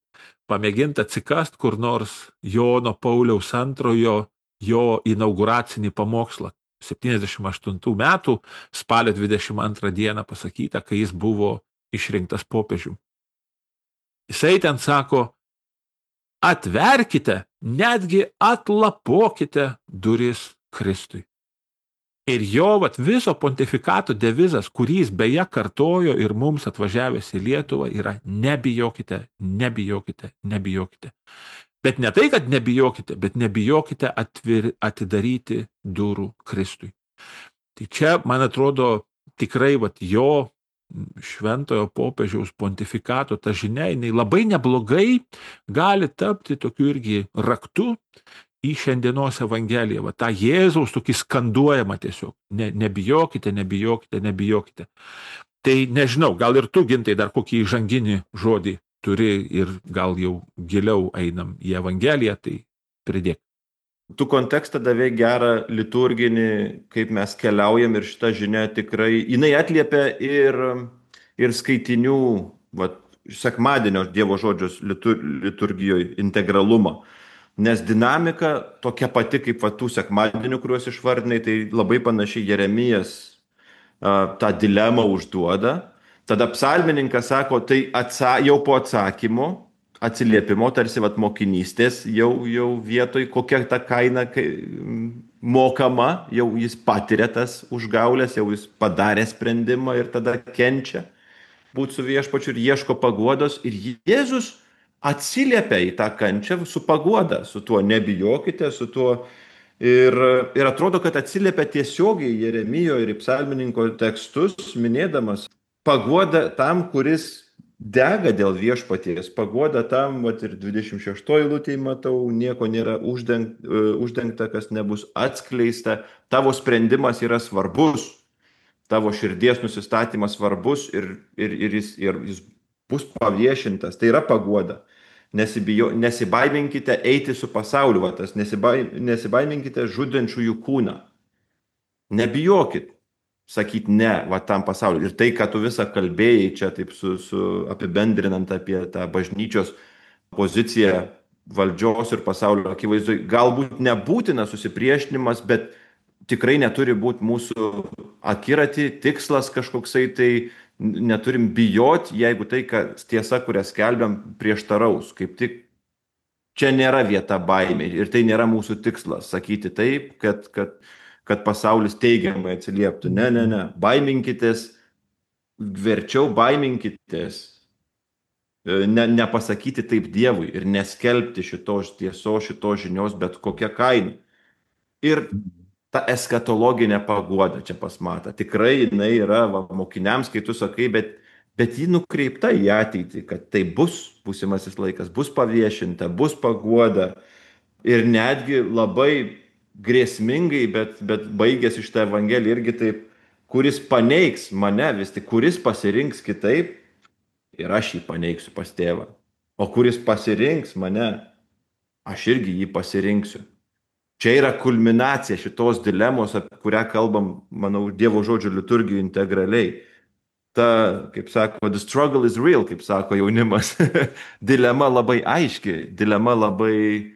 Pamėginti atsikast kur nors Jono Pauliaus antrojo jo inauguracinį pamokslą. septyniasdešimt aštuntų metų spalio dvidešimt antrą dieną pasakyta, kai jis buvo išrinktas popiežium. Jisai ten sako, atverkite, netgi atlapokite duris Kristui. Ir jo vat, viso pontifikato devizas, kurį jis beje kartojo ir mums atvažiavęs į Lietuvą, yra nebijokite, nebijokite, nebijokite. Bet ne tai, kad nebijokite, bet nebijokite atvir, atidaryti durų Kristui. Tai čia, man atrodo, tikrai vat, jo šventojo popiežiaus pontifikato ta žinia, jinai labai neblogai gali tapti tokiu irgi raktu į šiandienos Evangeliją. Va, tą Jėzaus tokį skanduojamą tiesiog. Ne, nebijokite, nebijokite, nebijokite. Tai nežinau, gal ir tu, Gintai, dar kokį įžanginį žodį turi ir gal jau giliau einam į Evangeliją, tai pridėk. Tu kontekstą davė gerą liturginį, kaip mes keliaujam ir šitą žinią tikrai, jinai atliepia ir, ir skaitinių, va, sekmadienio Dievo žodžios litur, liturgijoje integralumą. Nes dinamika tokia pati kaip va, tų sekmadienių, kuriuos išvardinai, tai labai panašiai Jeremijas a, tą dilemą užduoda. Tada psalmininkas sako, tai atsa, jau po atsakymo, atsiliepimo, tarsi vat, mokinystės jau, jau vietoj, kokia ta kaina kai, mokama, jau jis patiria tas užgaulės, jau jis padarė sprendimą ir tada kenčia būti su viešpačiu ir ieško paguodos. Ir Jėzus atsiliepia į tą kančią su paguoda, su tuo nebijokite, su tuo ir, ir atrodo, kad atsiliepia tiesiogiai Jeremijo ir psalmininko tekstus, minėdamas paguoda tam, kuris dega dėl viešpaties, paguoda tam, vat ir dvidešimt šeštoj eilutėje matau, nieko nėra uždengta, uždengta, kas nebus atskleista, tavo sprendimas yra svarbus, tavo širdies nusistatymas svarbus ir, ir, ir, jis, ir jis bus paviešintas, tai yra paguoda. Nesibijo, nesibaiminkite eiti su pasauliu, va, tas nesibai, nesibaiminkite žudančiųjų kūną. Nebijokit sakyti ne va tam pasauliu. Ir tai, ką tu visą kalbėjai čia taip su, su apibendrinant apie tą bažnyčios poziciją valdžios ir pasaulio akivaizdoj, galbūt nebūtina susipriešinimas, bet tikrai neturi būti mūsų akiratį, tikslas kažkoksai, tai neturim bijoti, jeigu tai, kad tiesa, kurią skelbiam, prieštaraus. Kaip tik čia nėra vieta baimė ir tai nėra mūsų tikslas sakyti taip, kad, kad, kad pasaulis teigiamai atsilieptų. Ne, ne, ne. Baiminkitės, verčiau baiminkitės, ne, nepasakyti taip Dievui ir neskelbti šitos tiesos, šitos žinios, bet kokią kainą. Ir ta eskatologinė paguoda čia pasmata. Tikrai jinai yra va, mokiniams, kai tu sakai, bet, bet ji nukreipta į ateitį, kad tai bus būsimasis laikas, bus paviešinta, bus paguoda. Ir netgi labai grėsmingai, bet, bet baigėsi šitą evangeliją irgi taip, kuris paneigs mane vis tik, kuris pasirinks kitaip, ir aš jį paneigsiu pas tėvą. O kuris pasirinks mane, aš irgi jį pasirinksiu. Čia yra kulminacija šitos dilemos, apie kurią kalbam, manau, Dievo žodžio liturgijų integraliai. Ta, kaip sako, the struggle is real, kaip sako jaunimas. Dilema labai aiški, dilema labai,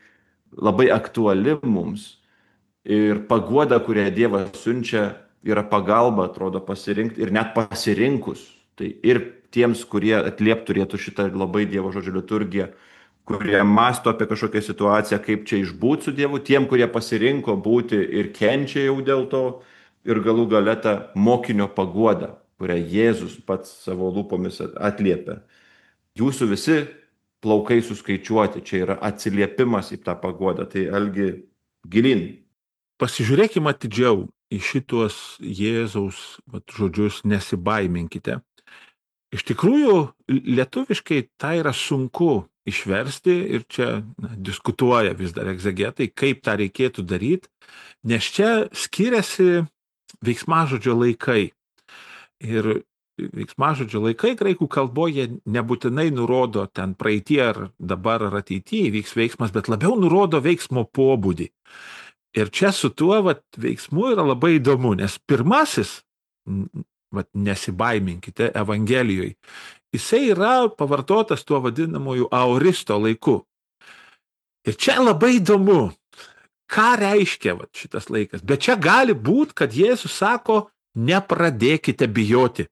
labai aktuali mums. Ir paguoda, kurią Dievas siunčia, yra pagalba, atrodo, pasirinkti ir net pasirinkus. Tai ir tiems, kurie atliep turėtų šitą labai Dievo žodžio liturgiją, kurie masto apie kažkokią situaciją, kaip čia išbūti su Dievu, tiem, kurie pasirinko būti ir kenčia jau dėl to, ir galų gale tą mokinio paguodą, kurią Jėzus pats savo lūpomis atliepia. Jūsų visi plaukai suskaičiuoti, čia yra atsiliepimas į tą paguodą, tai Algi gilin. Pasižiūrėkime atidžiau į šitos Jėzaus vat, žodžius nesibaiminkite. Iš tikrųjų, lietuviškai tai yra sunku išversti ir čia na, diskutuoja vis dar egzegetai, kaip tą reikėtų daryti, nes čia skiriasi veiksmažodžio laikai. Ir veiksmažodžio laikai graikų kalboje nebūtinai nurodo ten praeitie ar dabar ar ateityje vyks veiksmas, bet labiau nurodo veiksmo pobūdį. Ir čia su tuo vat, veiksmu yra labai įdomu, nes pirmasis, vat, nesibaiminkite Evangelijoje, jisai yra pavartotas tuo vadinamoju aoristo laiku. Ir čia labai įdomu, ką reiškia vat, šitas laikas. Bet čia gali būti, kad Jėzus sako, nepradėkite bijoti.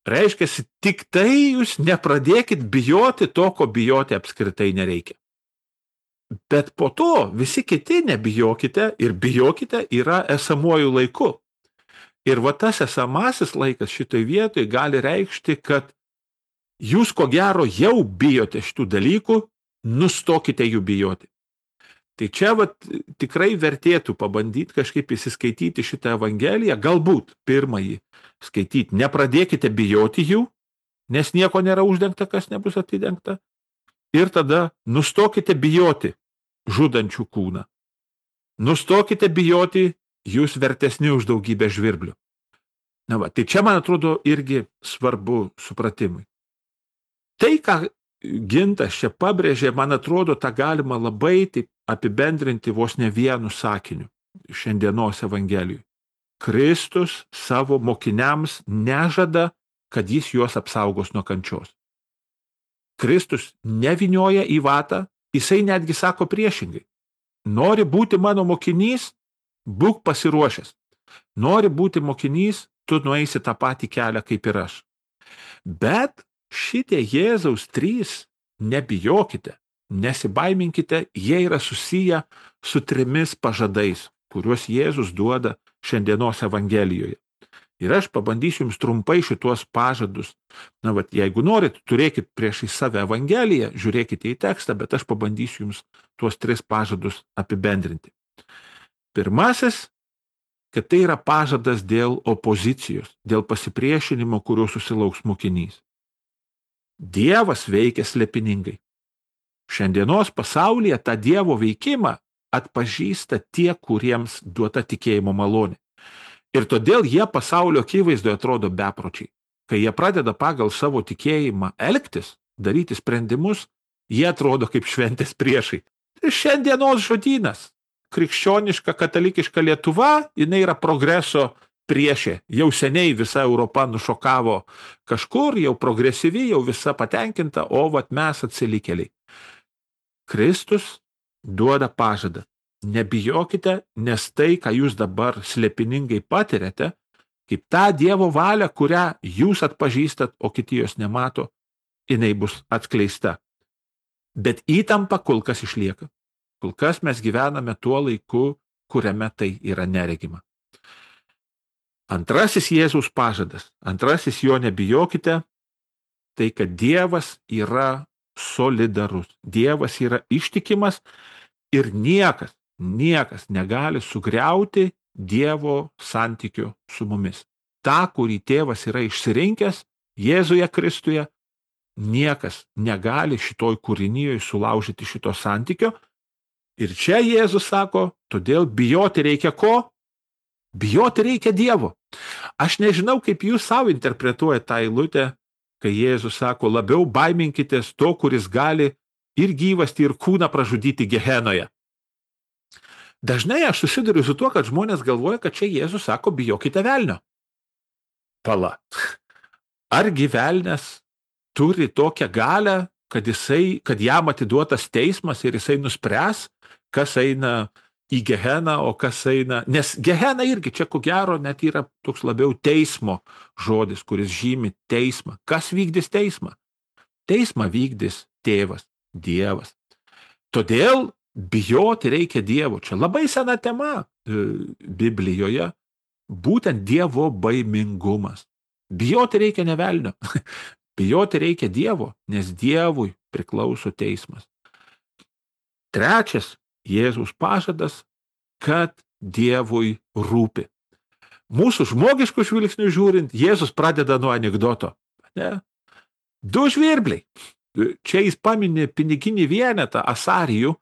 Reiškia, tik tai jūs nepradėkit bijoti to, ko bijoti apskritai nereikia. Bet po to visi kiti nebijokite ir bijokite yra esamuoju laiku. Ir va tas esamasis laikas šitoj vietoj gali reikšti, kad jūs ko gero jau bijote šitų dalykų, nustokite jų bijoti. Tai čia vat, tikrai vertėtų pabandyti kažkaip įsiskaityti šitą Evangeliją, galbūt pirmąjį skaityti. Nepradėkite bijoti jų, nes nieko nėra uždengta, kas nebus atidengta. Ir tada nustokite bijoti žudančių kūną. Nustokite bijoti, jūs vertesni už daugybę žvirblių. Na va, tai čia, man atrodo, irgi svarbu supratimui. Tai, ką Gintas čia pabrėžė, man atrodo, tą galima labai taip apibendrinti vos ne vienu sakiniu šiandienos Evangelijui. Kristus savo mokiniams nežada, kad jis juos apsaugos nuo kančios. Kristus nevinioja į vatą, jisai netgi sako priešingai. Nori būti mano mokinys, būk pasiruošęs. Nori būti mokinys, tu nueisi tą patį kelią kaip ir aš. Bet šitie Jėzaus trys, nebijokite, nesibaiminkite, jie yra susiję su trimis pažadais, kuriuos Jėzus duoda šiandienos Evangelijoje. Ir aš pabandysiu jums trumpai šituos pažadus. Na, vat, jeigu norit, turėkit prieš į save Evangeliją, žiūrėkite į tekstą, bet aš pabandysiu jums tuos tris pažadus apibendrinti. Pirmasis, kad tai yra pažadas dėl opozicijos, dėl pasipriešinimo, kurio susilauks mokinys. Dievas veikia slėpiningai. Šiandienos pasaulyje tą Dievo veikimą atpažįsta tie, kuriems duota tikėjimo malonė. Ir todėl jie pasaulio akivaizdoje atrodo bepročiai. kai jie pradeda pagal savo tikėjimą elgtis, daryti sprendimus, jie atrodo kaip šventės priešai. Tai šiandienos žodynas, krikščioniška, katalikiška Lietuva, jinai yra progreso priešė. Jau seniai visa Europa nušokavo kažkur, jau progresyvi, jau visa patenkinta, o vat mes atsilikėliai. Kristus duoda pažadą. Nebijokite, nes tai, ką jūs dabar slėpiningai patiriate, kaip tą Dievo valią, kurią jūs atpažįstat, o kiti jos nemato, jinai bus atskleista. Bet įtampa kol kas išlieka. Kol kas mes gyvename tuo laiku, kuriame tai yra neregima. Antrasis Jėzaus pažadas, antrasis jo nebijokite, tai kad Dievas yra solidarus. Dievas yra ištikimas ir niekas, niekas negali sugriauti Dievo santykių su mumis. Ta, kurį tėvas yra išsirinkęs Jėzuje Kristuje, niekas negali šitoj kūrinijoje sulaužyti šito santykio. Ir čia Jėzus sako, todėl bijoti reikia ko? Bijoti reikia Dievo. Aš nežinau, kaip jūs savo interpretuojate tą eilutę, kai Jėzus sako, labiau baiminkitės to, kuris gali ir gyvastį, ir kūną pražudyti Gehenoje. Dažnai aš susiduriu su tuo, kad žmonės galvoja, kad čia Jėzus sako, bijokite velnio. Pala. Argi velnias turi tokią galę, kad, jisai, kad jam atiduotas teismas ir jisai nuspręs, kas eina į Geheną, o kas eina... Nes Gehena irgi čia ko gero net yra toks labiau teismo žodis, kuris žymi teismą. Kas vykdys teismą? Teismą vykdys tėvas, Dievas. Todėl bijoti reikia Dievo. Čia labai sena tema e, Biblijoje, būtent Dievo baimingumas. Bijoti reikia ne velnio. Bijoti reikia Dievo, nes Dievui priklauso teismas. Trečias Jėzaus pažadas, kad Dievui rūpi. Mūsų žmogiškų žvilgsnių žiūrint, Jėzus pradeda nuo anekdoto. Ne? Du žvirbliai. Čia jis paminė piniginį vienetą asarijų,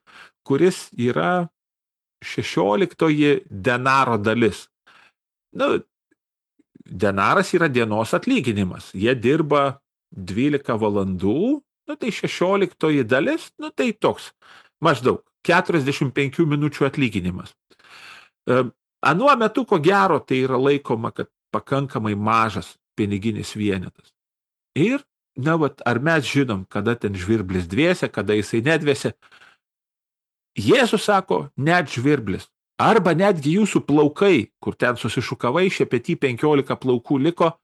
kuris yra šešioliktoji denaro dalis. Nu, denaras yra dienos atlyginimas. Jie dirba dvylika valandų, nu tai šešioliktoji dalis, nu tai toks maždaug keturiasdešimt penkių minučių atlyginimas. Anuo metu, ko gero, tai yra laikoma, kad pakankamai mažas piniginis vienetas. Ir, na, vat, ar mes žinom, kada ten žvirblis dviese, kada jisai nedviese. Jėzus sako, net žvirblis. Arba netgi jūsų plaukai, kur ten susišukavai, šepetį penkiolika plaukų liko,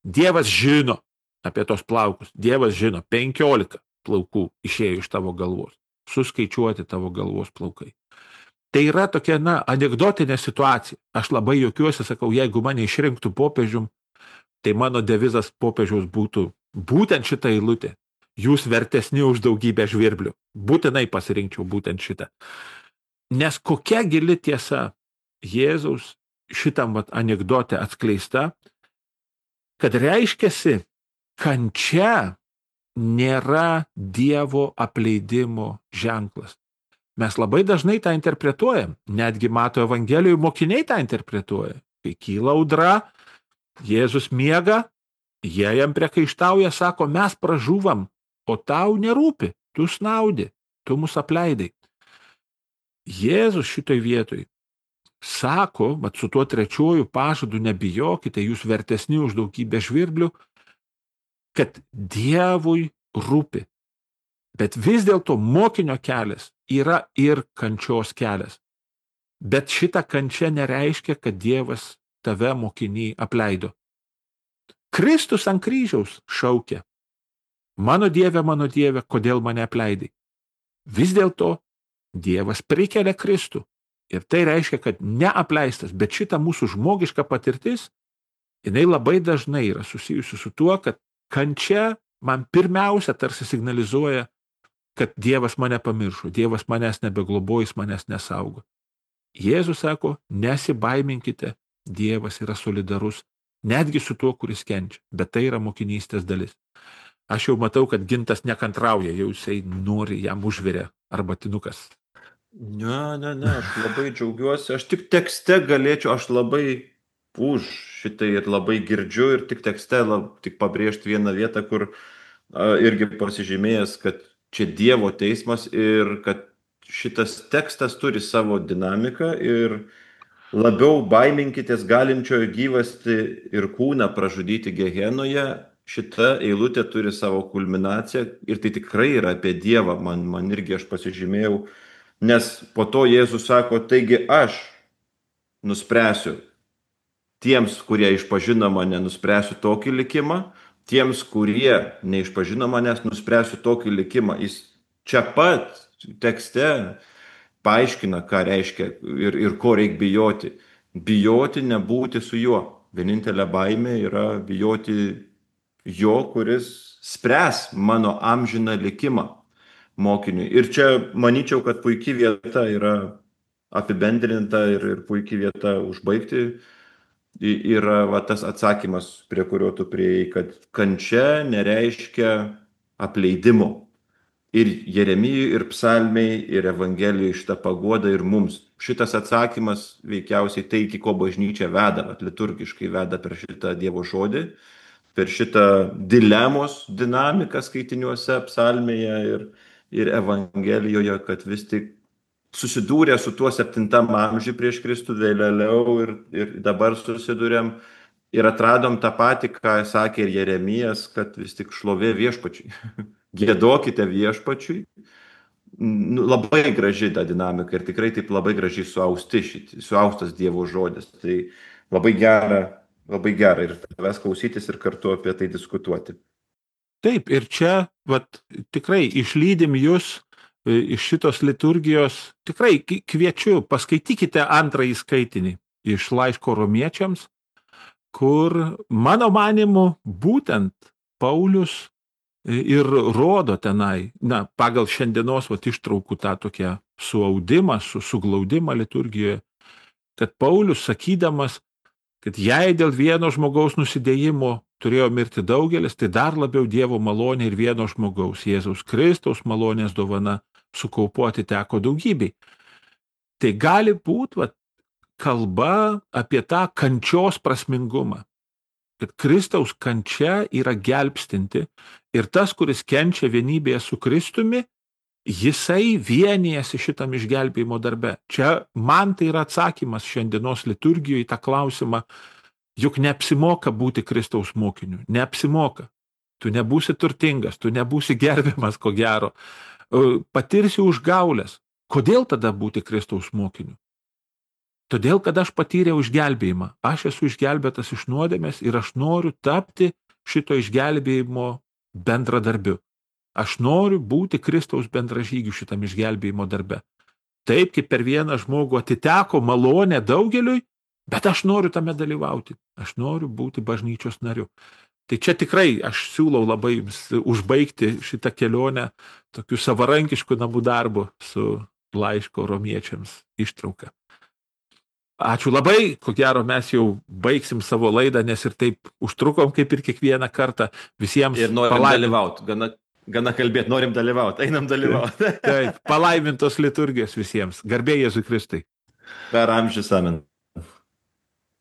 Dievas žino apie tos plaukus. Dievas žino, penkiolika plaukų išėjo iš tavo galvos. Suskaičiuoti tavo galvos plaukai. Tai yra tokia, na, anekdotinė situacija. Aš labai juokiuosi, sakau, jeigu mane išrinktų popiežium, tai mano devizas popiežiaus būtų būtent šitą eilutę. Jūs vertesni už daugybę žvirblių. Būtinai pasirinkčiau būtent šitą. Nes kokia gili tiesa Jėzaus šitam vat, anekdote atskleista, kad reiškiasi, kančia nėra Dievo apleidimo ženklas. Mes labai dažnai tą interpretuojam, netgi Mato Evangelijoje mokiniai tą interpretuoja. Kai kyla audra, Jėzus miega, jie jam priekaištauja, sako, mes pražuvam, o tau nerūpi, tu snaudi, tu mus apleidai. Jėzus šitoj vietoj sako, mat su tuo trečiuoju pažadu nebijokite, jūs vertesni už daugybę žvirblių, kad Dievui rūpi. Bet vis dėlto mokinio kelias yra ir kančios kelias. Bet šita kančia nereiškia, kad Dievas tave mokinį apleido. Kristus ant kryžiaus šaukia, mano Dieve, mano Dieve, kodėl mane apleidai? Vis dėlto Dievas prikelia Kristų. Ir tai reiškia, kad neapleistas, bet šita mūsų žmogiška patirtis, jinai labai dažnai yra susijusi su tuo, kad kančia man pirmiausia tarsi signalizuoja, kad Dievas mane pamiršo, Dievas manęs nebeglobojais, manęs nesaugo. Jėzus sako, nesibaiminkite, Dievas yra solidarus, netgi su tuo, kuris kenčia, bet tai yra mokinystės dalis. Aš jau matau, kad Gintas nekantrauja, jau jisai nori, jam užvirė arbatinukas. Ne, ne, ne, aš labai džiaugiuosi, aš tik tekste galėčiau, aš labai už šitai ir labai girdžiu ir tik tekste, lab, tik pabrėžti vieną vietą, kur a, irgi pasižymėjęs, kad čia Dievo teismas ir kad šitas tekstas turi savo dinamiką ir labiau baiminkitės galinčiojo gyvasti ir kūną pražudyti Gehenoje. Šita eilutė turi savo kulminaciją ir tai tikrai yra apie Dievą, man, man irgi aš pasižymėjau, nes po to Jėzus sako, taigi aš nuspręsiu tiems, kurie išpažino mane, nuspręsiu tokį likimą, tiems, kurie neišpažino manęs, nuspręsiu tokį likimą. Jis čia pat tekste paaiškina, ką reiškia ir, ir ko reikia bijoti. Bijoti nebūti su juo. Vienintelė baimė yra bijoti jo, kuris spręs mano amžiną likimą mokiniui. Ir čia manyčiau, kad puikiai vieta yra apibendrinta ir, ir puikiai vieta užbaigti. Yra va, tas atsakymas, prie kurio tu prieėjai, kad kančia nereiškia apleidimo. Ir Jeremijui, ir psalmiai, ir Evangelijai šitą paguodą ir mums. Šitas atsakymas veikiausiai tai, iki ko bažnyčia veda, at liturgiškai veda per šitą Dievo žodį, per šitą dilemos dinamiką skaitiniuose psalmėje ir, ir Evangelijoje, kad vis tik susidūrė su tuo septintam amžiui prieš Kristų vėliau ir, ir dabar susidūrėm ir atradom tą patį, ką sakė ir Jeremijas, kad vis tik šlovė viešpačiui. Giedokite viešpačiui. Nu, labai graži ta dinamika ir tikrai taip labai gražiai suausti, šit, suaustas Dievo žodis. Tai labai gera, labai gera ir tavęs klausytis ir kartu apie tai diskutuoti. Taip, ir čia vat, tikrai išlydim jūs iš šitos liturgijos, tikrai kviečiu, paskaitykite antrąjį skaitinį iš laiško romiečiams, kur mano manimu būtent Paulius ir rodo tenai, na, pagal šiandienos vat, ištraukų tą tokią suaudimą, su, suglaudimą liturgijoje, kad Paulius sakydamas, kad jei dėl vieno žmogaus nusidėjimo turėjo mirti daugelis, tai dar labiau Dievo malonė ir vieno žmogaus, Jėzaus Kristaus malonės dovana, sukaupoti teko daugybei. Tai gali būti vat, kalba apie tą kančios prasmingumą, kad Kristaus kančia yra gelbstinti ir tas, kuris kenčia vienybėje su Kristumi, jisai vienijasi šitam išgelbėjimo darbe. Čia man tai yra atsakymas šiandienos liturgijoje į tą klausimą, juk neapsimoka būti Kristaus mokiniu, neapsimoka. Tu nebūsi turtingas, tu nebūsi gerbiamas, ko gero. Patirsi užgaulės. Kodėl tada būti Kristaus mokiniu? Todėl, kad aš patyriau išgelbėjimą. Aš esu išgelbėtas iš nuodėmės ir aš noriu tapti šito išgelbėjimo bendradarbiu. Aš noriu būti Kristaus bendražygiu šitam išgelbėjimo darbe. Taip, kaip per vieną žmogų atiteko malonė daugeliui, bet aš noriu tame dalyvauti. Aš noriu būti bažnyčios nariu. Tai čia tikrai aš siūlau labai jums užbaigti šitą kelionę tokiu savarankišku namų darbu su laiško romiečiams ištrauka. Ačiū labai, ko gero mes jau baigsim savo laidą, nes ir taip užtrukom kaip ir kiekvieną kartą visiems. Ir norim palaimint... dalyvauti, gana, gana kalbėti, norim dalyvauti, einam dalyvauti. Taip, palaimintos liturgijos visiems. Garbė Jėzui Kristui. Per amžius amen.